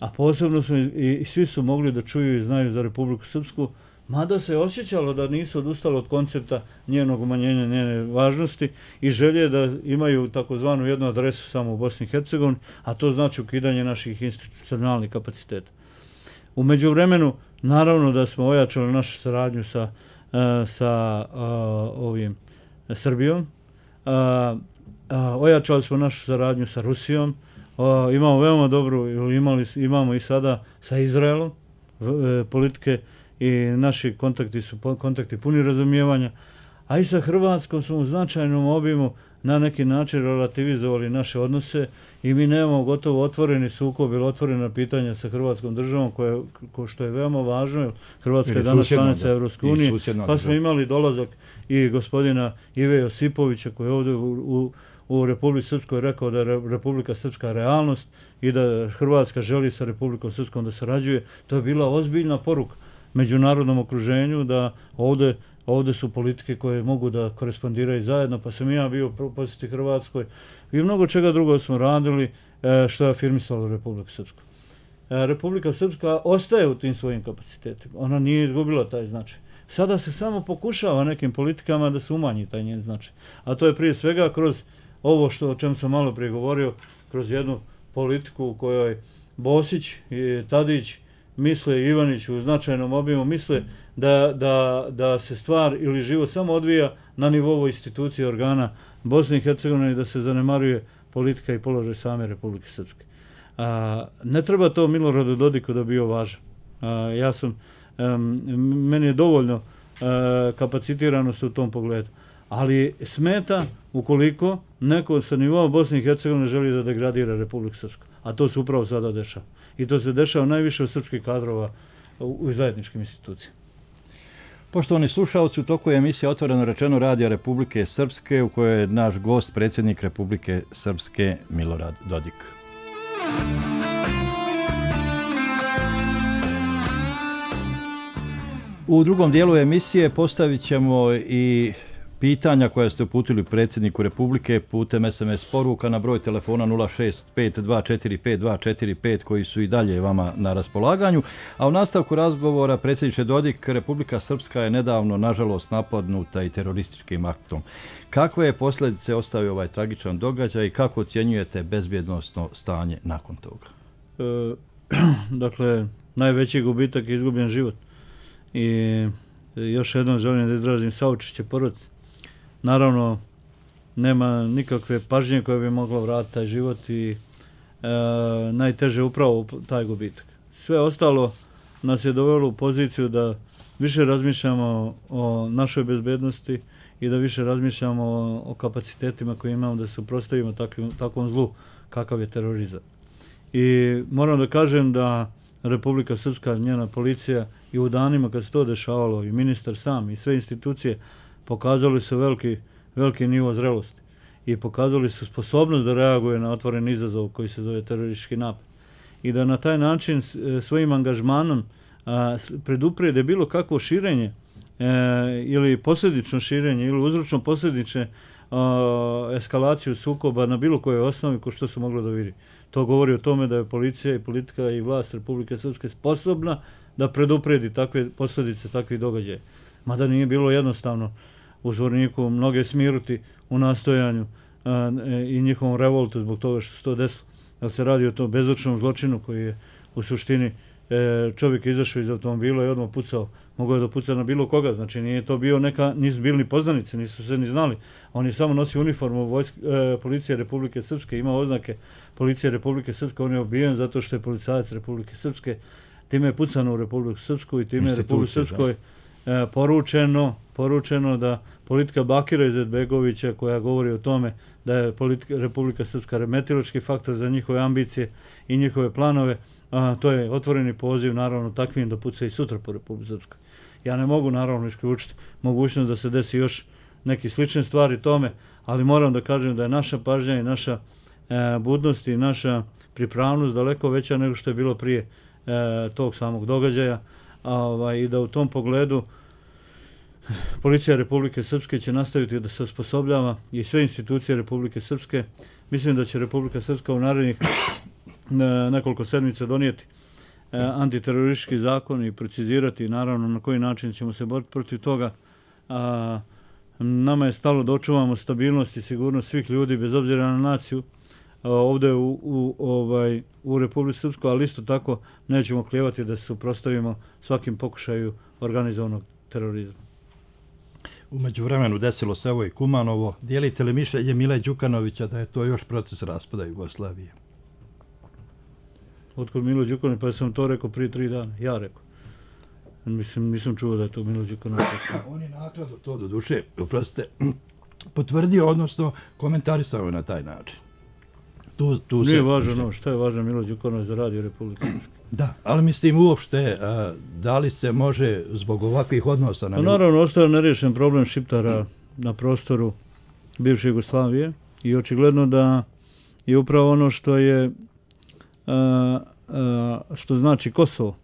a posebno smo i svi su mogli da čuju i znaju za Republiku Srpsku, mada se osjećalo da nisu odustali od koncepta njenog umanjenja, njene važnosti i želje da imaju takozvanu jednu adresu samo u Bosni i Hercegovini, a to znači ukidanje naših institucionalnih kapaciteta. U međuvremenu, naravno da smo ojačali našu saradnju sa Srbijom, ojačali smo našu saradnju sa Rusijom, imamo veoma dobru, imamo i sada sa Izraelom politike i naši kontakti su kontakti puni razumijevanja, a i sa Hrvatskom smo u značajnom obimu na neki način relativizovali naše odnose i mi nemamo gotovo otvoreni sukob ili otvorena pitanja sa Hrvatskom državom, što je veoma važno. Hrvatska je danas članica Evropske unije, pa smo imali dolazak i gospodina Ive Josipovića koji je ovdje u Republici Srpskoj rekao da je Republika Srpska realnost i da Hrvatska želi sa Republikom Srpskom da sarađuje. To je bila ozbiljna poruka međunarodnom okruženju da ovdje su politike koje mogu da korespondiraju zajedno, pa sam i ja bio posjeti Hrvatskoj i mnogo čega drugo smo radili što je afirmisalo Republiku Srpsku. Republika Srpska ostaje u tim svojim kapacitetima, ona nije izgubila taj značaj. Sada se samo pokušava nekim politikama da se umanji taj njen značaj, a to je prije svega kroz ovo o čem sam malo prije govorio, kroz jednu politiku u kojoj Bosić i Tadić misle, Ivanić u značajnom obimu misle da se stvar ili život samo odvija na nivou institucije organa Bosne i Hercegovine i da se zanemaruje politika i položaj same Republike Srpske. Ne treba to Miloradu Dodiku da bio važan. Meni je dovoljno kapacitiranost u tom pogledu. Ali smeta ukoliko neko sa nivoa Bosne i Hercegovine želi da degradira Republiku Srpsku. A to se upravo sada dešava. I to se dešava najviše od srpskih kadrova u zajedničkim institucijama. Poštovani slušalci, u toku je emisija Otvoreno rečeno Radija Republike Srpske u kojoj je naš gost predsjednik Republike Srpske Milorad Dodik. U drugom dijelu emisije postavit ćemo i pitanja koja ste uputili predsjedniku Republike putem SMS poruka na broj telefona 065245245 koji su i dalje vama na raspolaganju. A u nastavku razgovora, predsjedniče Dodik, Republika Srpska je nedavno, nažalost, napadnuta i terorističkim aktom. Kakve je posljedice ostavio ovaj tragičan događaj i kako ocjenjujete bezbjednosno stanje nakon toga? Dakle, najveći gubitak je izgubljen život. I još jednom želim da izrazim saučešće porodici. Naravno, nema nikakve pažnje koja bi mogla vratiti taj život i najteže upravo taj gubitak. Sve ostalo nas je dovelo u poziciju da više razmišljamo o našoj bezbednosti i da više razmišljamo o kapacitetima koje imamo da se suprotstavimo takvom zlu kakav je terorizam. I moram da kažem da Republika Srpska, njena policija i u danima kad se to dešavalo i ministar sam i sve institucije pokazali su veliki nivo zrelosti i pokazali su sposobnost da reaguje na otvoren izazov koji se zove teroristički napad. I da na taj način svojim angažmanom preduprijede bilo kakvo širenje ili posljedično širenje ili uzročno posljedične eskalaciju sukoba na bilo kojoj osnovi ko što su moglo da vidi. To govori o tome da je policija i politika i vlast Republike Srpske sposobna da preduprijedi takve posljedice, takvih događaja. Mada nije bilo jednostavno u Zvorniku mnoge smiruti u nastojanju i njihovom revoltu zbog toga što se to desilo. Da se radi o tom bezočnom zločinu koji je u suštini čovjek izašao iz automobila i odmah pucao. Mogao je da puca na bilo koga, znači nije to bio nisu bili ni poznanici, nisu se ni znali. On je samo nosio uniformu policije Republike Srpske, imao oznake policije Republike Srpske, on je ubijen zato što je policajac Republike Srpske. Time je pucano u Republiku Srpsku i time je Republiku Srpskoj poručeno da politika Bakira Izetbegovića koja govori o tome da je Republika Srpska remetilački faktor za njihove ambicije i njihove planove, to je otvoreni poziv naravno takvim da puca i sutra po Republike Srpskoj. Ja ne mogu naravno isključiti mogućnost da se desi još neki slične stvari tome, ali moram da kažem da je naša pažnja i naša budnost i naša pripravnost daleko veća nego što je bilo prije tog samog događaja i da u tom pogledu policija Republike Srpske će nastaviti da se osposobljava i sve institucije Republike Srpske. Mislim da će Republika Srpska u narednih nekoliko sedmica donijeti antiteroristički zakon i precizirati naravno na koji način ćemo se boriti protiv toga. Nama je stalo da očuvamo stabilnost i sigurnost svih ljudi bez obzira na naciju ovdje u Republici Srpskoj, ali isto tako nećemo klijevati da se suprotstavimo svakim pokušaju organizovanog terorizma. U međuvremenu desilo se ovo i Kumanovo. Dijelite li mišljenje Mile Đukanovića da je to još proces raspada Jugoslavije? Otkud Milo Đukanović? Pa sam to rekao prije 3 dana. Ja rekao. Mislim, nisam čuo da je to Milo Đukanović. On je nakladno to do duše, oprostite, potvrdio, odnosno komentarisao na taj način. Nije važno šta je važno Milo Đukanović za Radio Republike. Da, ali mislim uopšte, da li se može zbog ovakvih odnosa... Naravno, ostao nerješen problem Šiptara na prostoru bivše Jugoslavije i očigledno da je upravo ono što je što znači Kosovo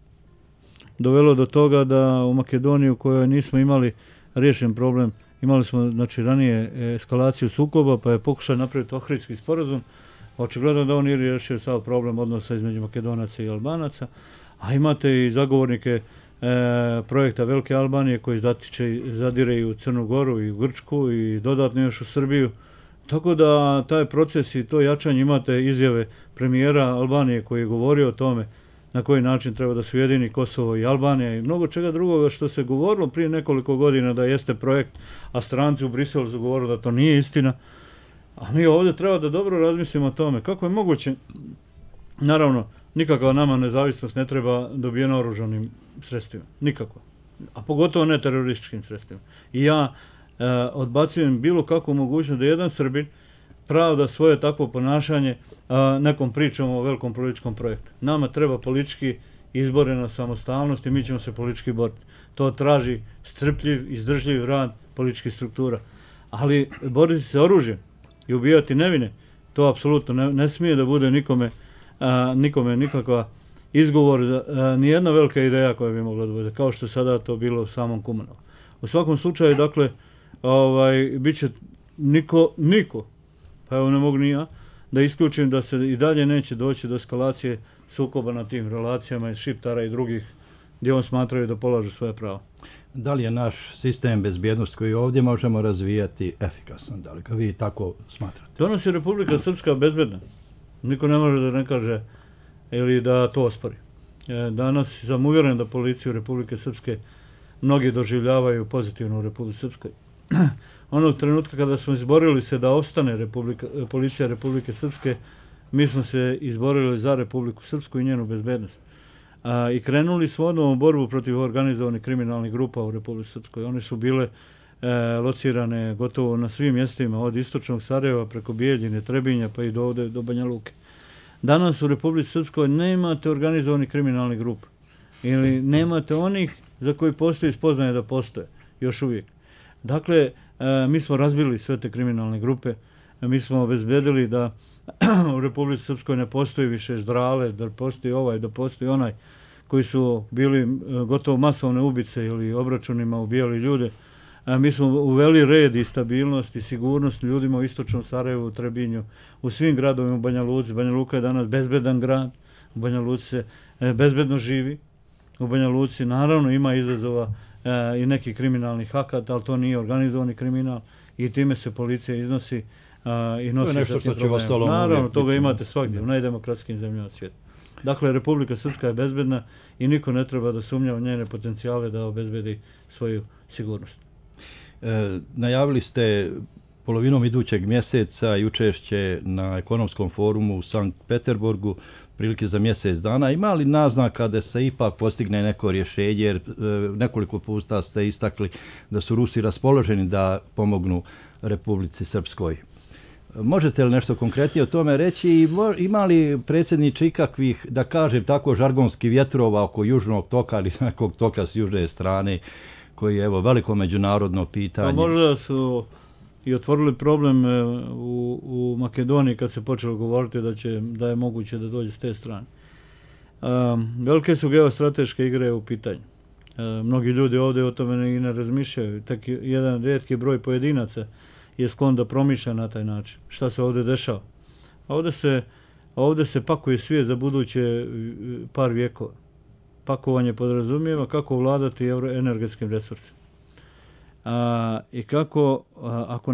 dovelo do toga da u Makedoniji u kojoj nismo imali riješen problem, imali smo znači ranije eskalaciju sukoba pa je pokušao napraviti Ohridski sporazum. Očigledno da on nije riješio sav problem odnosa između Makedonaca i Albanaca, a imate i zagovornike projekta Velike Albanije koji zadire i u Crnu Goru i u Grčku i dodatno još u Srbiju. Tako da taj proces i to jačanje, imate izjave premijera Albanije koji je govorio o tome na koji način treba da se ujedini Kosovo i Albanija i mnogo čega drugoga što se govorilo prije nekoliko godina da jeste projekt, a stranci u Briselu su govorili da to nije istina. A mi ovdje treba da dobro razmislimo o tome. Kako je moguće, naravno, nikakva nama nezavisnost ne treba dobijena oružanim sredstvima. Nikako. A pogotovo ne terorističkim sredstvima. I ja odbacujem bilo kakvu mogućnost da jedan Srbin pravda svoje takvo ponašanje nekom pričom o velikom političkom projektu. Nama treba politički izborena samostalnost i mi ćemo se politički boriti. To traži strpljiv, izdržljiv rad političkih struktura. Ali boriti se oružjem i ubijati nevine, to apsolutno ne smije da bude nikome nikakva izgovor, nijedna velika ideja koja bi mogla da bude, kao što je sada to bilo u samom Kumanovu. U svakom slučaju, dakle, bit će niko, pa evo ne mogu ni ja, da isključim da se i dalje neće doći do eskalacije sukoba na tim relacijama iz Šiptara i drugih gdje on smatraju da polažu svoje pravo. Da li je naš sistem bezbjednosti koji ovdje možemo razvijati efikasan? Da li ga vi tako smatrate? Danas je Republika Srpska bezbedna. Niko ne može da ne kaže ili da to ospori. Danas sam uvjeren da policiju Republike Srpske mnogi doživljavaju pozitivno u Republike Srpskoj. Onog trenutka kada smo izborili se da ostane policija Republike Srpske, mi smo se izborili za Republiku Srpsku i njenu bezbednost. I krenuli smo odmah u borbu protiv organizovanih kriminalnih grupa u Republici Srpskoj. One su bile locirane gotovo na svim mjestima, od istočnog Sarajeva preko Bijeljine, Trebinja pa i do Banja Luke. Danas u Republici Srpskoj nemate organizovanih kriminalnih grupa ili nemate onih za koji postoji spoznaje da postoje, još uvijek. Dakle, mi smo razbili sve te kriminalne grupe, mi smo obezbedili da u Republici Srpskoj ne postoji više ždrale, da postoji ovaj, da postoji onaj koji su bili gotovo masovne ubice ili obračunima ubijali ljude. Mi smo uveli red i stabilnost i sigurnost ljudima u istočnom Sarajevu, u Trebinju, u svim gradovima u Banja Luci. Banja Luka je danas bezbedan grad, u Banja Luci se bezbedno živi. U Banja Luci naravno ima izazova i nekih kriminalnih akata, ali to nije organizovani kriminal i time se policija iznosi i nosi sa tim problemima. Naravno, toga imate svakdje, u najdemokratskim zemljama svijeta. Dakle, Republika Srpska je bezbedna i niko ne treba da sumnja u njene potencijale da obezbedi svoju sigurnost. Najavili ste polovinom idućeg mjeseca i učešće na ekonomskom forumu u Sankt Peterburgu, prilike za mjesec dana. Ima li naznaka da se ipak postigne neko rješenje, jer nekoliko puta ste istakli da su Rusi raspoloženi da pomognu Republici Srpskoj? Možete li nešto konkretnije o tome reći i ima li predsjedniče ikakvih, da kažem tako, žargonskih vjetrova oko južnog toka ili nekog toka s južne strane, koji je veliko međunarodno pitanje? Možda su i otvorili problem u Makedoniji kad se počelo govoriti da je moguće da dođe s te strane. Velike su geostrateške igre u pitanju. Mnogi ljudi ovdje o tome i ne razmišljaju. Tek jedan rijetki broj pojedinaca je sklon da promišlja na taj način. Šta se ovdje dešava? Ovdje se pakuje svijet za buduće par vjekova. Pakovanje podrazumijeva kako vladati energetskim resursima. I kako, ako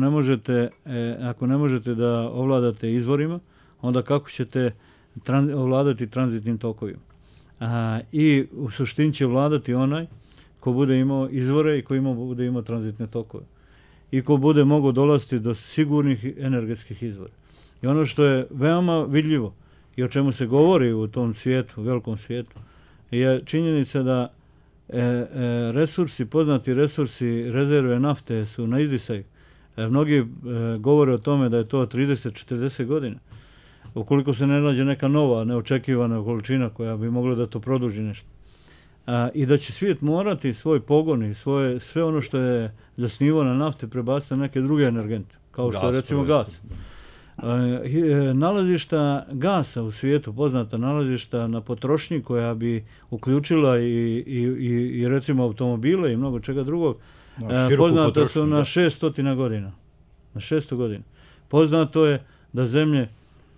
ne možete da ovladate izvorima, onda kako ćete ovladati tranzitnim tokovima. I u suštini će vladati onaj ko bude imao izvore i ko bude imao tranzitne tokove. I ko bude mogao dolaziti do sigurnih energetskih izvora. I ono što je veoma vidljivo i o čemu se govori u tom svijetu, velikom svijetu, je činjenica da poznati resursi, rezerve nafte su na izdisaju. Mnogi govore o tome da je to 30-40 godina. Ukoliko se ne nađe neka nova, neočekivana količina koja bi mogla da to produži nešto. I da će svijet morati svoj pogon i sve ono što je zasnivao na nafte prebaciti na neke druge energente, kao što je recimo gas. Nalazišta gasa u svijetu, poznata nalazišta na potrošnji koja bi uključila i recimo automobile i mnogo čega drugog, poznata su na 600 godina. Na 600 godina. Poznato je da zemlje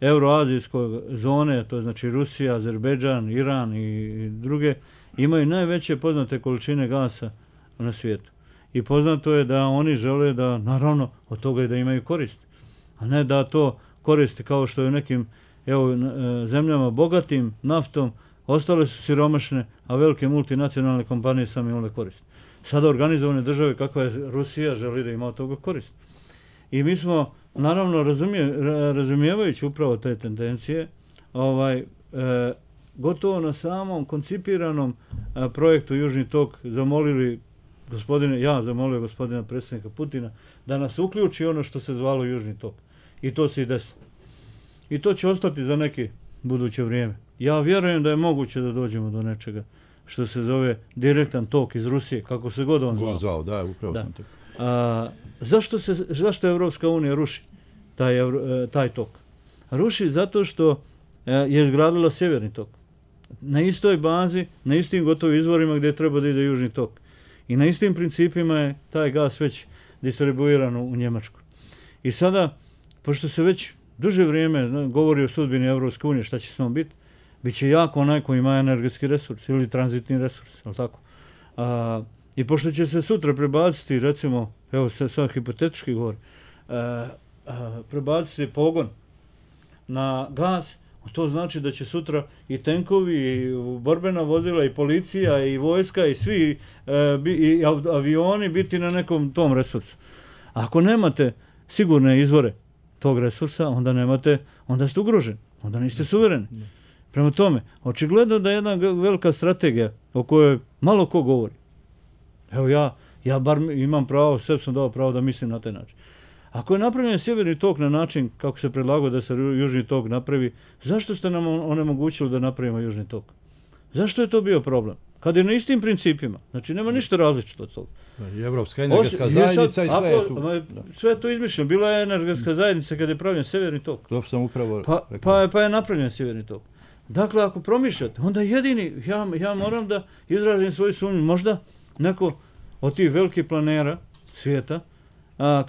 euroazijske zone, to je znači Rusija, Azerbejdžan, Iran i druge, imaju najveće poznate količine gasa na svijetu. I poznato je da oni žele da, naravno, od toga i da imaju korist. A ne da to koriste kao što je u nekim zemljama bogatim naftom, ostale su siromašne, a velike multinacionalne kompanije same imale korist. Sada organizovane države kakva je Rusija želi da ima od toga korist. I mi smo, naravno, razumijevajući upravo te tendencije, gotovo na samom koncipiranom projektu Južni tok zamolio gospodina predsjednika Putina da nas uključi ono što se zvalo Južni tok. I to se i desi. I to će ostati za neki buduće vrijeme. Ja vjerujem da je moguće da dođemo do nečega što se zove direktan tok iz Rusije, kako se god on zvao. Da, upravo sam to. Zašto Evropska unija ruši taj tok? Ruši zato što je izgradila sjeverni tok. na istoj bazi, na istim gotovim izvorima gdje treba da ide Južni tok. I na istim principima je taj gas već distribuiran u Njemačku. I sada, pošto se već duže vrijeme govori o sudbini Evropske unije, šta će s njom biti, bit će jako onaj koji ima energetski resurs ili tranzitni resurs, je li tako? I pošto će se sutra prebaciti, recimo, evo sad hipotetički govor, prebaciti pogon na gas, to znači da će sutra i tenkovi, i borbena vozila, i policija, i vojska, i svi i avioni biti na nekom tom resursu. Ako nemate sigurne izvore tog resursa, onda ste ugroženi, onda niste suvereni. Prema tome, očigledno da je jedna velika strategija o kojoj malo ko govori. Evo ja bar imam pravo, sve sam dao pravo da mislim na taj način. Ako je napravljen sjeverni tok na način kako se predlagao da se južni tok napravi, zašto ste nam onemogućili da napravimo južni tok? Zašto je to bio problem? Kad je na istim principima, znači nema ništa različito od toga. Evropska energetska zajednica i sve je tu. Sve je to izmišljeno. Bila je energetska zajednica kad je pravljen sjeverni tok. To sam upravo pa je napravljen sjeverni tok. Dakle, ako promišljate, onda jedini, ja moram da izrazim svoju sumnju, možda neko od tih velikih planera svijeta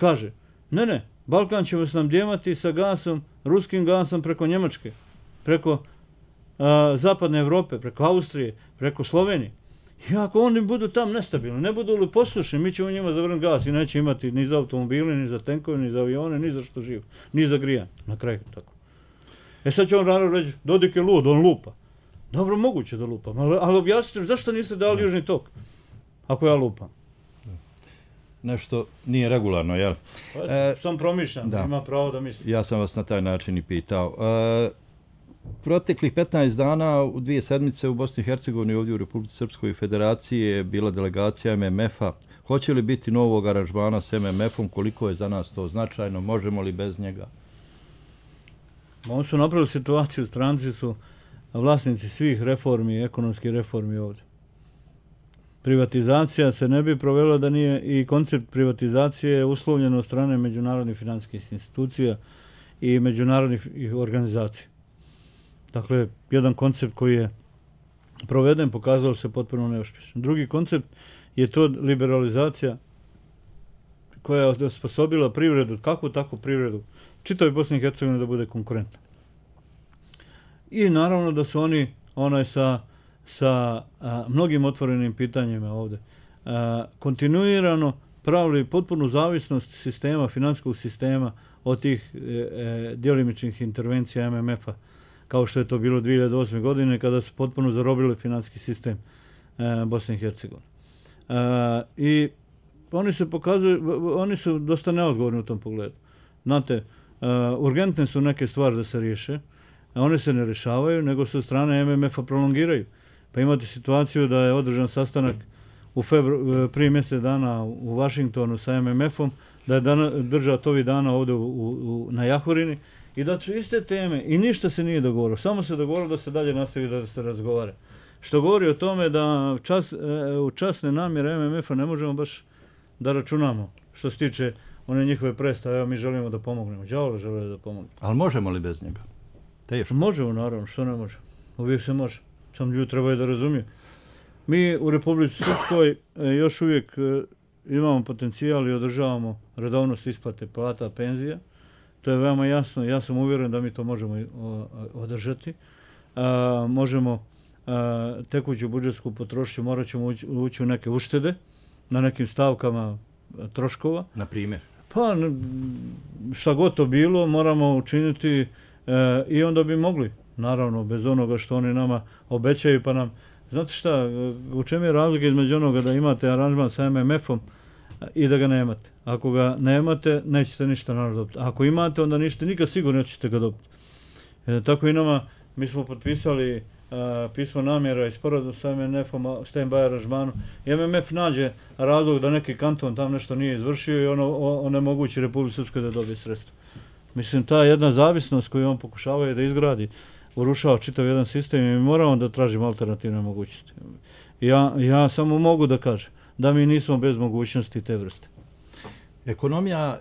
kaže, ne, Balkan ćemo snabdijevati sa gasom, ruskim gasom preko Njemačke, preko zapadne Evrope, preko Austrije, preko Slovenije. I ako oni budu tam nestabilni, ne budu li poslušni, mi ćemo njima zavrnuti gas i neće imati ni za automobile, ni za tenkove, ni za avione, ni za što živo, ni za grijanje. Na kraju tako. Sad će on rano reći, Dodik je lud, on lupa. Dobro, moguće da lupam, ali objasnite zašto niste dali južni tok, ako ja lupam. Nešto nije regularno, jel? Sam promišljam, ima pravo da mislim. Ja sam vas na taj način i pitao. Proteklih 15 dana, u 2 sedmice u Bosni i Hercegovini, ovdje u Republici Srpskoj Federaciji je bila delegacija MMF-a. Hoće li biti novog aranžmana s MMF-om? Koliko je za nas to značajno? Možemo li bez njega? Oni su napravili situaciju, stranci su vlasnici svih reformi, ekonomskih reformi ovdje. Privatizacija se ne bi provela da nije i koncept privatizacije uslovljen od strane međunarodnih financijskih institucija i međunarodnih organizacija. Dakle, jedan koncept koji je proveden pokazao se potpuno neuspješan. Drugi koncept je to liberalizacija koja je osposobila privredu, kakvu takvu privredu, čitavoj Bosni i Hercegovini da bude konkurentna. I naravno da su oni sa mnogim otvorenim pitanjima ovdje kontinuirano pravili potpunu zavisnost sistema, financijskog sistema od tih djelimičnih intervencija MMF-a, kao što je to bilo 2008. godine kada su potpuno zarobili financijski sistem Bosne i Hercegovine. I oni su dosta neodgovorni u tom pogledu. Znate, urgentne su neke stvari da se riješe, a one se ne rješavaju, nego se od strane MMF-a prolongiraju. Pa imate situaciju da je održan sastanak prije mjesec dana u Vašingtonu sa MMF-om, da je držao ovih dana ovdje na Jahorini i da su iste teme i ništa se nije dogovorilo. Samo se dogovorilo da se dalje nastavi da se razgovara. Što govori o tome da u časne namjere MMF-a ne možemo baš da računamo što se tiče one njihove predstave, evo mi želimo da pomognemo. Đavole žele da pomognemo. Ali možemo li bez njega? Teško. Možemo, naravno, što ne može. Uvijek se može. Samo ljudi trebaju da razumiju. Mi u Republici Srpskoj još uvijek imamo potencijal i održavamo redovnost isplate plata, penzija. To je veoma jasno. Ja sam uvjeren da mi to možemo održati. Možemo tekuću budžetsku potrošnju, morat ćemo ući u neke uštede na nekim stavkama troškova. Na primjer? Pa šta god to bilo moramo učiniti i onda bi mogli, naravno, bez onoga što oni nama obećaju pa nam. Znate šta, u čemu je razlika između onoga da imate aranžman sa MMF-om i da ga nemate? Ako ga nemate, nećete ništa naravno dobiti. Ako imate, onda ništa, nikad sigurno nećete ga dobiti. Tako i nama, mi smo potpisali pismo namjera i sporazum sa MMF-om, stand-by aranžmanu. I MMF nađe razlog da neki kanton tam nešto nije izvršio i onemogući Republici Srpskoj da dobije sredstva. Mislim, ta jedna zavisnost koju on pokušava da izgradi, urušava čitav jedan sistem i mi moramo da tražimo alternativne mogućnosti. Ja samo mogu da kažem da mi nismo bez mogućnosti te vrste. Ekonomija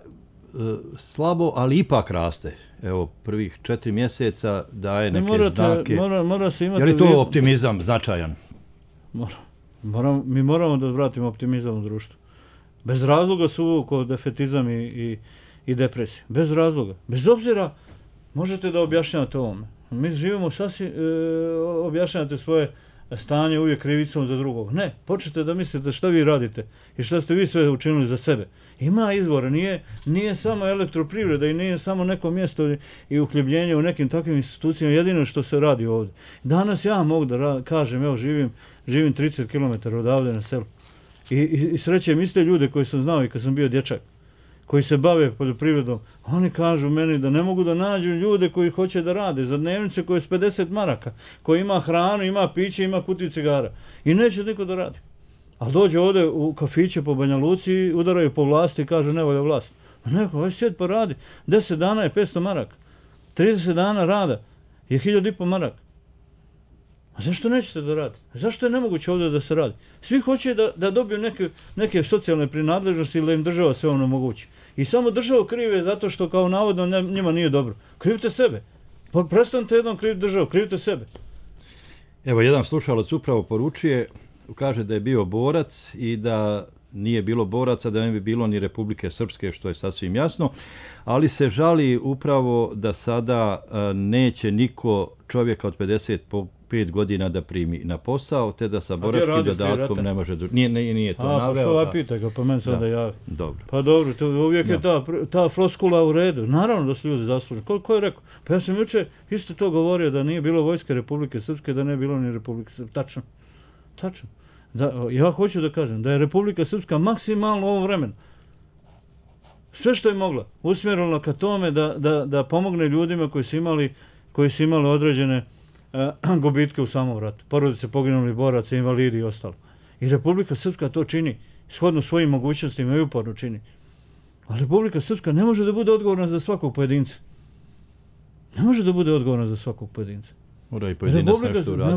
slabo, ali ipak raste. Evo, prvih 4 mjeseca daje neke znake. Mora se imati... Je li to optimizam značajan? Mi moramo da vratimo optimizam u društvu. Bez razloga su uvukao defetizam i depresija. Bez razloga. Bez obzira možete da objašnjavate ovome. Mi živimo sasvim, objašnjavate svoje stanje uvijek krivicom za drugog. Ne, počnete da mislite šta vi radite i šta ste vi sve učinili za sebe. Ima izvora, nije samo elektroprivreda i nije samo neko mjesto i uhljebljenje u nekim takvim institucijama, jedino što se radi ovdje. Danas ja mogu da kažem, evo živim 30 km odavde na selu i srećem iste ljude koji sam znao i kad sam bio dječak, koji se bave poljoprivredom, oni kažu meni da ne mogu da nađu ljude koji hoće da rade za dnevnice koje je s 50 maraka, koji ima hranu, ima piće, ima kutiju cigara i neće niko da radi. Ali dođe ovdje u kafiće po Banja Luci, udaraju po vlasti i kažu ne volja vlast. Neko, aj sjed pa radi. 10 dana je 500 maraka. 30 dana rada je 1500 maraka. A zašto nećete da radite? Zašto je nemoguće ovdje da se radi? Svi hoće da dobiju neke socijalne prinadležnosti ili da im država sve ono mogući. I samo državu krive zato što kao navodno njima nije dobro. Krivite sebe. Prestanite jednom kriviti državu, krivite sebe. Evo, jedan slušalac upravo poručuje, kaže da je bio borac i da nije bilo boraca, da ne bi bilo ni Republike Srpske, što je sasvim jasno, ali se žali upravo da sada neće niko čovjeka od 55 godina da primi na posao, te da sa boračkim dodatkom ne može... Nije to naveo. Pa što pita ga, pa meni sada javi. Dobro. Pa dobro, uvijek je ta floskula u redu. Naravno da su ljudi zasluženi. Ko je rekao? Pa ja sam juče isto to govorio da nije bilo vojske Republike Srpske, da ne bilo ni Republike Srpske. Tačno. Ja hoću da kažem da je Republika Srpska maksimalno u ovom vremenu sve što je mogla usmjerila ka tome da pomogne ljudima koji su imali određene gubitke u samom ratu. Porodice poginulih boraca, invalidi i ostalo. I Republika Srpska to čini, shodno svojim mogućnostima i uporno čini. A Republika Srpska ne može da bude odgovorna za svakog pojedinca. Ne može da bude odgovorna za svakog pojedinca.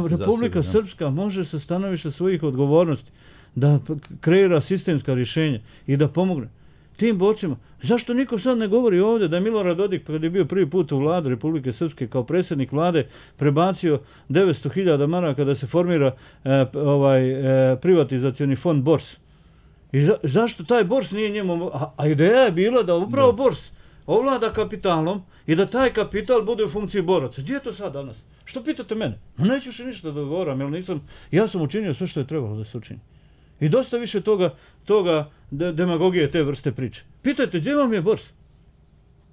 Republika Srpska može sa stanovišta svojih odgovornosti da kreira sistemska rješenja i da pomogne tim borcima. Zašto niko sad ne govori ovdje da je Milorad Dodik, kad je bio prvi put u vladu Republike Srpske kao predsjednik vlade, prebacio 900.000 maraka da se formira privatizacioni fond Bors. I zašto taj Bors nije njemu... A ideja je bila da upravo Bors ovlada kapitalom i da taj kapital bude u funkciji boraca. Gdje je to sad danas? Što pitate mene? Neću još ništa da govoram, jer ja sam učinio sve što je trebalo da se učini. I dosta više toga demagogije te vrste priče. Pitajte, gdje vam je Bors?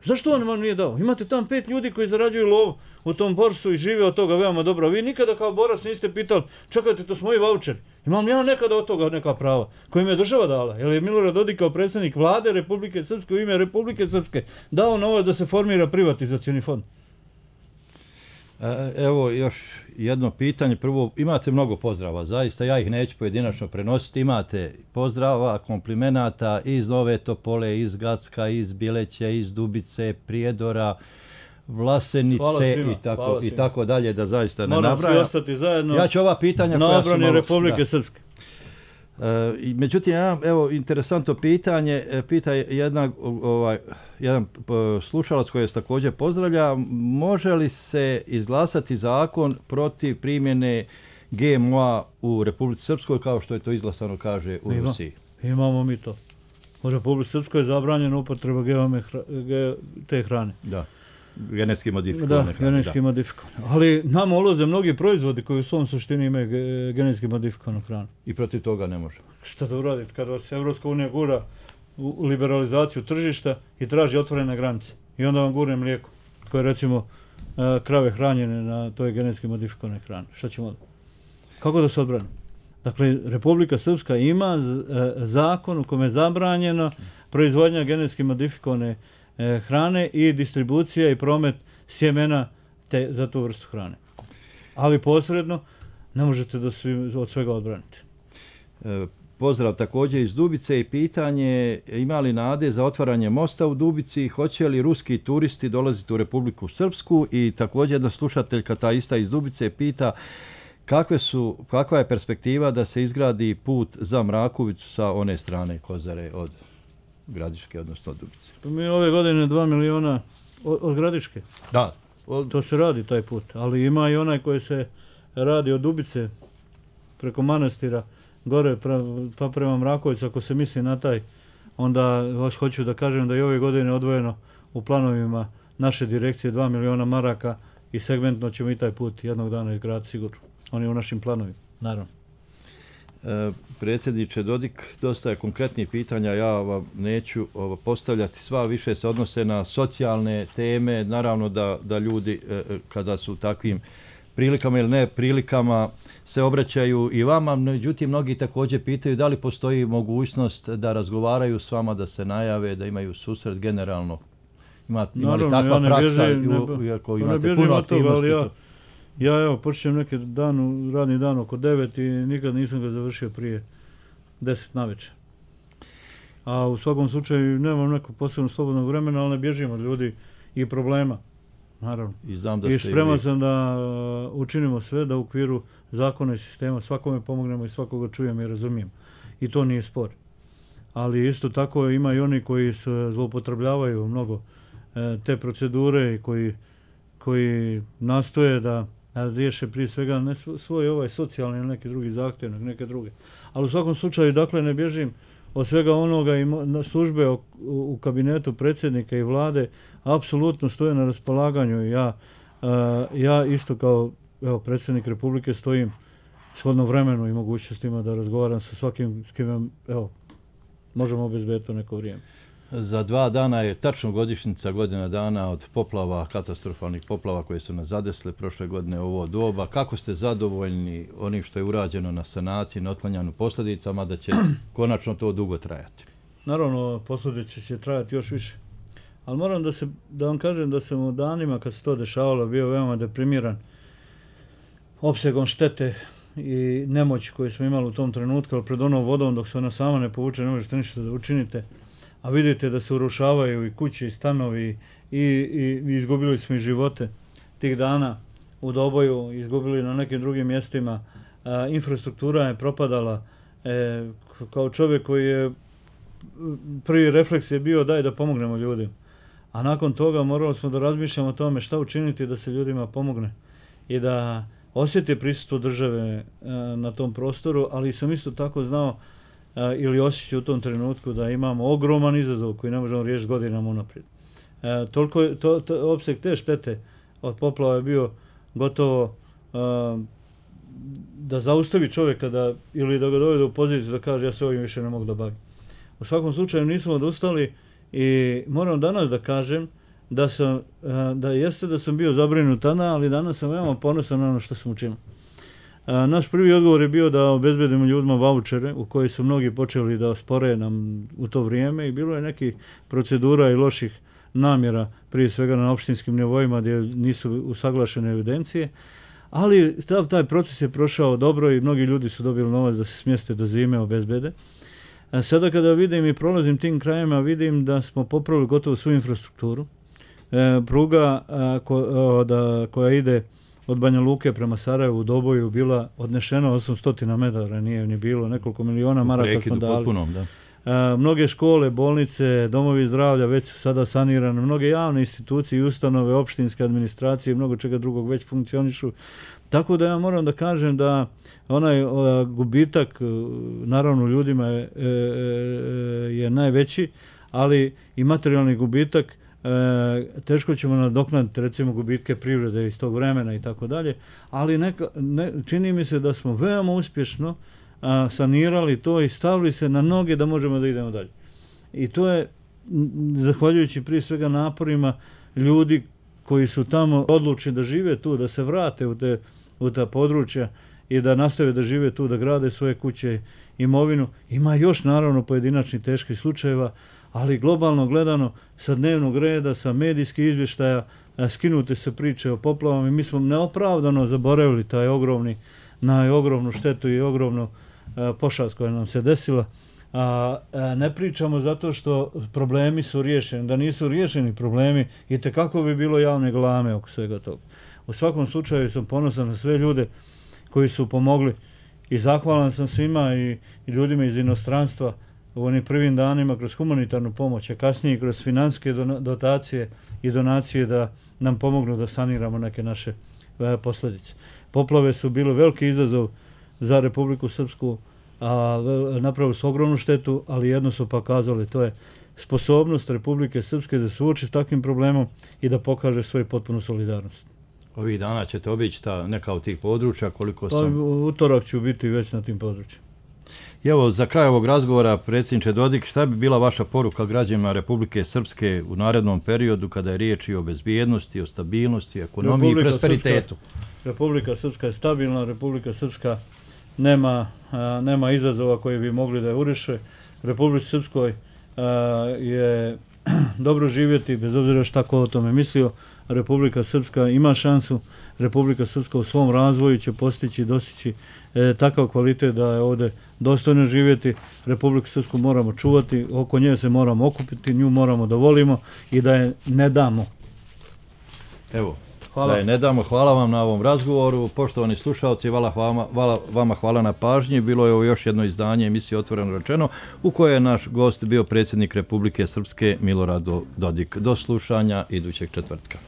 Zašto on vam nije dao? Imate tam 5 ljudi koji zarađuju lov u tom Borsu i žive od toga veoma dobro. Vi nikada kao borac niste pitali, čekajte, to su moji vaučeri. Imam ja nekada od toga neka prava koje mi je država dala. Jer je Milorad Dodik kao predsjednik vlade Republike Srpske u ime Republike Srpske dao novac da se formira privatizacioni fond. Evo još jedno pitanje. Prvo, imate mnogo pozdrava, zaista, ja ih neću pojedinačno prenositi. Imate pozdrava, komplimenata iz Nove Topole, iz Gacka, iz Bileća, iz Dubice, Prijedora, Vlasenice i tako dalje, da zaista ne nabrajam. Moramo svi ostati zajedno. Ja ću ova pitanja na obrani Republike Srpske. Međutim, evo, interesantno pitanje, pita jedan slušalac koji je također pozdravlja, može li se izglasati zakon protiv primjene GMO-a u Republici Srpskoj, kao što je to izglasano, kaže, u Rusiji? Imamo mi to. U Republici Srpskoj je zabranjena upotreba te hrane. Da. Genetski modifikovane. Da, genetski modifikovane. Ali nama ulaze mnogi proizvodi koji u svom suštini imaju genetski modifikovanu hranu. I protiv toga ne može. Šta da uradite kad vas Evropska unija gura u liberalizaciju tržišta i traži otvorene granice. I onda vam gurne mlijeko koje recimo krave hranjene na toj genetski modifikovane hrane. Šta ćemo da? Kako da se odbrani? Dakle, Republika Srpska ima zakon u kome je zabranjeno proizvodnja genetski modifikovane hrane i distribucija i promet sjemena za tu vrstu hrane. Ali posredno ne možete da od svega odbranite. Pozdrav također iz Dubice i pitanje, ima li nade za otvaranje mosta u Dubici, hoće li ruski turisti dolaziti u Republiku Srpsku? I također jedna slušateljka, ta ista iz Dubice, pita kakva je perspektiva da se izgradi put za Mrakovicu sa one strane Kozare od Gradiške, odnosno Dubice. Pa mi ove godine 2 miliona od Gradiške. Da. To se radi taj put, ali ima i onaj koji se radi od Dubice preko manastira, gore pa prema Mrakovicu, ako se misli na taj, onda hoću da kažem da je ove godine odvojeno u planovima naše direkcije 2 miliona maraka i segmentno ćemo i taj put jednog dana izgraditi sigurno. On je u našim planovima, naravno. Predsjedniče Dodik, dosta je konkretnih pitanja, ja vam neću postavljati, sva više se odnose na socijalne teme, naravno da ljudi kada su u takvim prilikama ili ne prilikama se obraćaju i vama, međutim mnogi također pitaju da li postoji mogućnost da razgovaraju s vama, da se najave, da imaju susret generalno. Ima li takva praksa, iako imate puno aktivnosti? Ja evo, počnem neki radni dan oko 9 i nikad nisam ga završio prije 10 navečer. A u svakom slučaju nemam nekog posebno slobodnog vremena, ali ne bježim od ljudi i problema, naravno. I spreman sam da učinimo sve da u okviru zakona i sistema svakome pomognemo i svakoga čujem i razumijem. I to nije spor. Ali isto tako ima i oni koji zloupotrebljavaju mnogo te procedure i koji nastoje da riješe prije svega ne svoj socijalni ili neki drugi zahtjev, neke druge. Ali u svakom slučaju, dakle, ne bježim od svega onoga i službe u kabinetu predsjednika i vlade apsolutno stoje na raspolaganju. Ja isto kao predsjednik Republike stojim shodno vremenu i mogućnostima da razgovaram sa svakim s kim možemo obezbediti to neko vrijeme. Za 2 dana je tačno godišnjica, godina dana od poplava, katastrofalnih poplava koje su nas zadesile prošle godine u ovo doba. Kako ste zadovoljni onim što je urađeno na sanaciji, na otklanjanju posljedicama, da će konačno to dugo trajati? Naravno, posljedice će trajati još više. Ali moram da vam kažem da sam u danima kad se to dešavalo bio veoma deprimiran opsegom štete i nemoći koju smo imali u tom trenutku, ali pred onom vodom dok se ona sama ne povuče ne možete ništa da učinite. A vidite da se urušavaju i kuće i stanovi i izgubili smo i živote tih dana u Doboju, izgubili na nekim drugim mjestima. Infrastruktura je propadala. Kao čovjek koji je prvi refleks je bio daj da pomognemo ljudima. A nakon toga morali smo da razmišljamo o tome šta učiniti da se ljudima pomogne i da osjeti prisustvo države na tom prostoru, ali sam isto tako znao ili osjećao u tom trenutku da imamo ogroman izazov koji ne možemo riješiti godinama unaprijed. Toliko opseg te štete od poplava je bio gotovo da zaustavi čovjeka ili da ga dovede u poziciju da kaže ja se ovim više ne mogu da bavim. U svakom slučaju nismo odustali i moram danas da kažem da sam bio zabrinut tada, ali danas sam veoma ponosan na ono što sam učinio. Naš prvi odgovor je bio da obezbedimo ljudima vaučere u koji su mnogi počeli da spore nam u to vrijeme i bilo je nekih procedura i loših namjera, prije svega na opštinskim nivoima gdje nisu usaglašene evidencije, ali taj proces je prošao dobro i mnogi ljudi su dobili novac da se smjeste do zime, obezbede. Sada kada vidim i prolazim tim krajima, vidim da smo popravili gotovo svu infrastrukturu. Pruga koja ide od Banja Luke prema Sarajevu u Doboju bila odnešena 800 metara, nije ni bilo, nekoliko miliona maraka smo dali. Potpunom, da. Mnoge škole, bolnice, domovi zdravlja već su sada sanirane, mnoge javne institucije i ustanove, opštinske administracije i mnogo čega drugog već funkcionišu. Tako da ja moram da kažem da onaj gubitak, naravno ljudima je najveći, ali i materijalni gubitak teško ćemo nadoknaditi recimo gubitke privrede iz tog vremena i tako dalje, ali čini mi se da smo veoma uspješno sanirali to i stavili se na noge da možemo da idemo dalje. I to je zahvaljujući prije svega naporima ljudi koji su tamo odlučili da žive tu, da se vrate u ta područja i da nastave da žive tu, da grade svoje kuće, imovinu. Ima još naravno pojedinačnih teških slučajeva, ali globalno gledano sa dnevnog reda, sa medijskih izvještaja, skinute se priče o poplavama i mi smo neopravdano zaboravili na ogromnu štetu i ogromnu pošast koja nam se desila. Ne pričamo zato što problemi su riješeni. Da nisu riješeni problemi, itekako bi bilo javne galame oko svega toga. U svakom slučaju sam ponosan na sve ljude koji su pomogli i zahvalan sam svima i ljudima iz inostranstva u onim prvim danima kroz humanitarnu pomoć, a kasnije kroz financijske dotacije i donacije da nam pomognu da saniramo neke naše posljedice. Poplave su bile veliki izazov za Republiku Srpsku, a napravili su ogromnu štetu, ali jedno su pokazali, to je sposobnost Republike Srpske da suoči s takvim problemom i da pokaže svoju potpunu solidarnost. Ovih dana ćete obići neka od tih područja, koliko sam... Utorak ću biti već na tim područjima. I evo, za kraj ovog razgovora, predsjedniče Dodik, šta bi bila vaša poruka građanima Republike Srpske u narednom periodu kada je riječ i o bezbjednosti, o stabilnosti, ekonomiji i prosperitetu? Republika Srpska je stabilna, Republika Srpska nema izazova koji bi mogli da je uriše. Republici Srpskoj je dobro živjeti, bez obzira šta ko o tome mislio. Republika Srpska ima šansu, Republika Srpska u svom razvoju će postići i dostići takav kvalitet da je ovdje dostojno živjeti. Republiku Srpsku moramo čuvati, oko nje se moramo okupiti, nju moramo da volimo i da je ne damo. Evo, da je ne damo. Hvala vam na ovom razgovoru. Poštovani slušalci, hvala na pažnji. Bilo je ovo još jedno izdanje emisije Otvoreno rečeno, u kojoj je naš gost bio predsjednik Republike Srpske Milorad Dodik. Do slušanja idućeg četvrtka.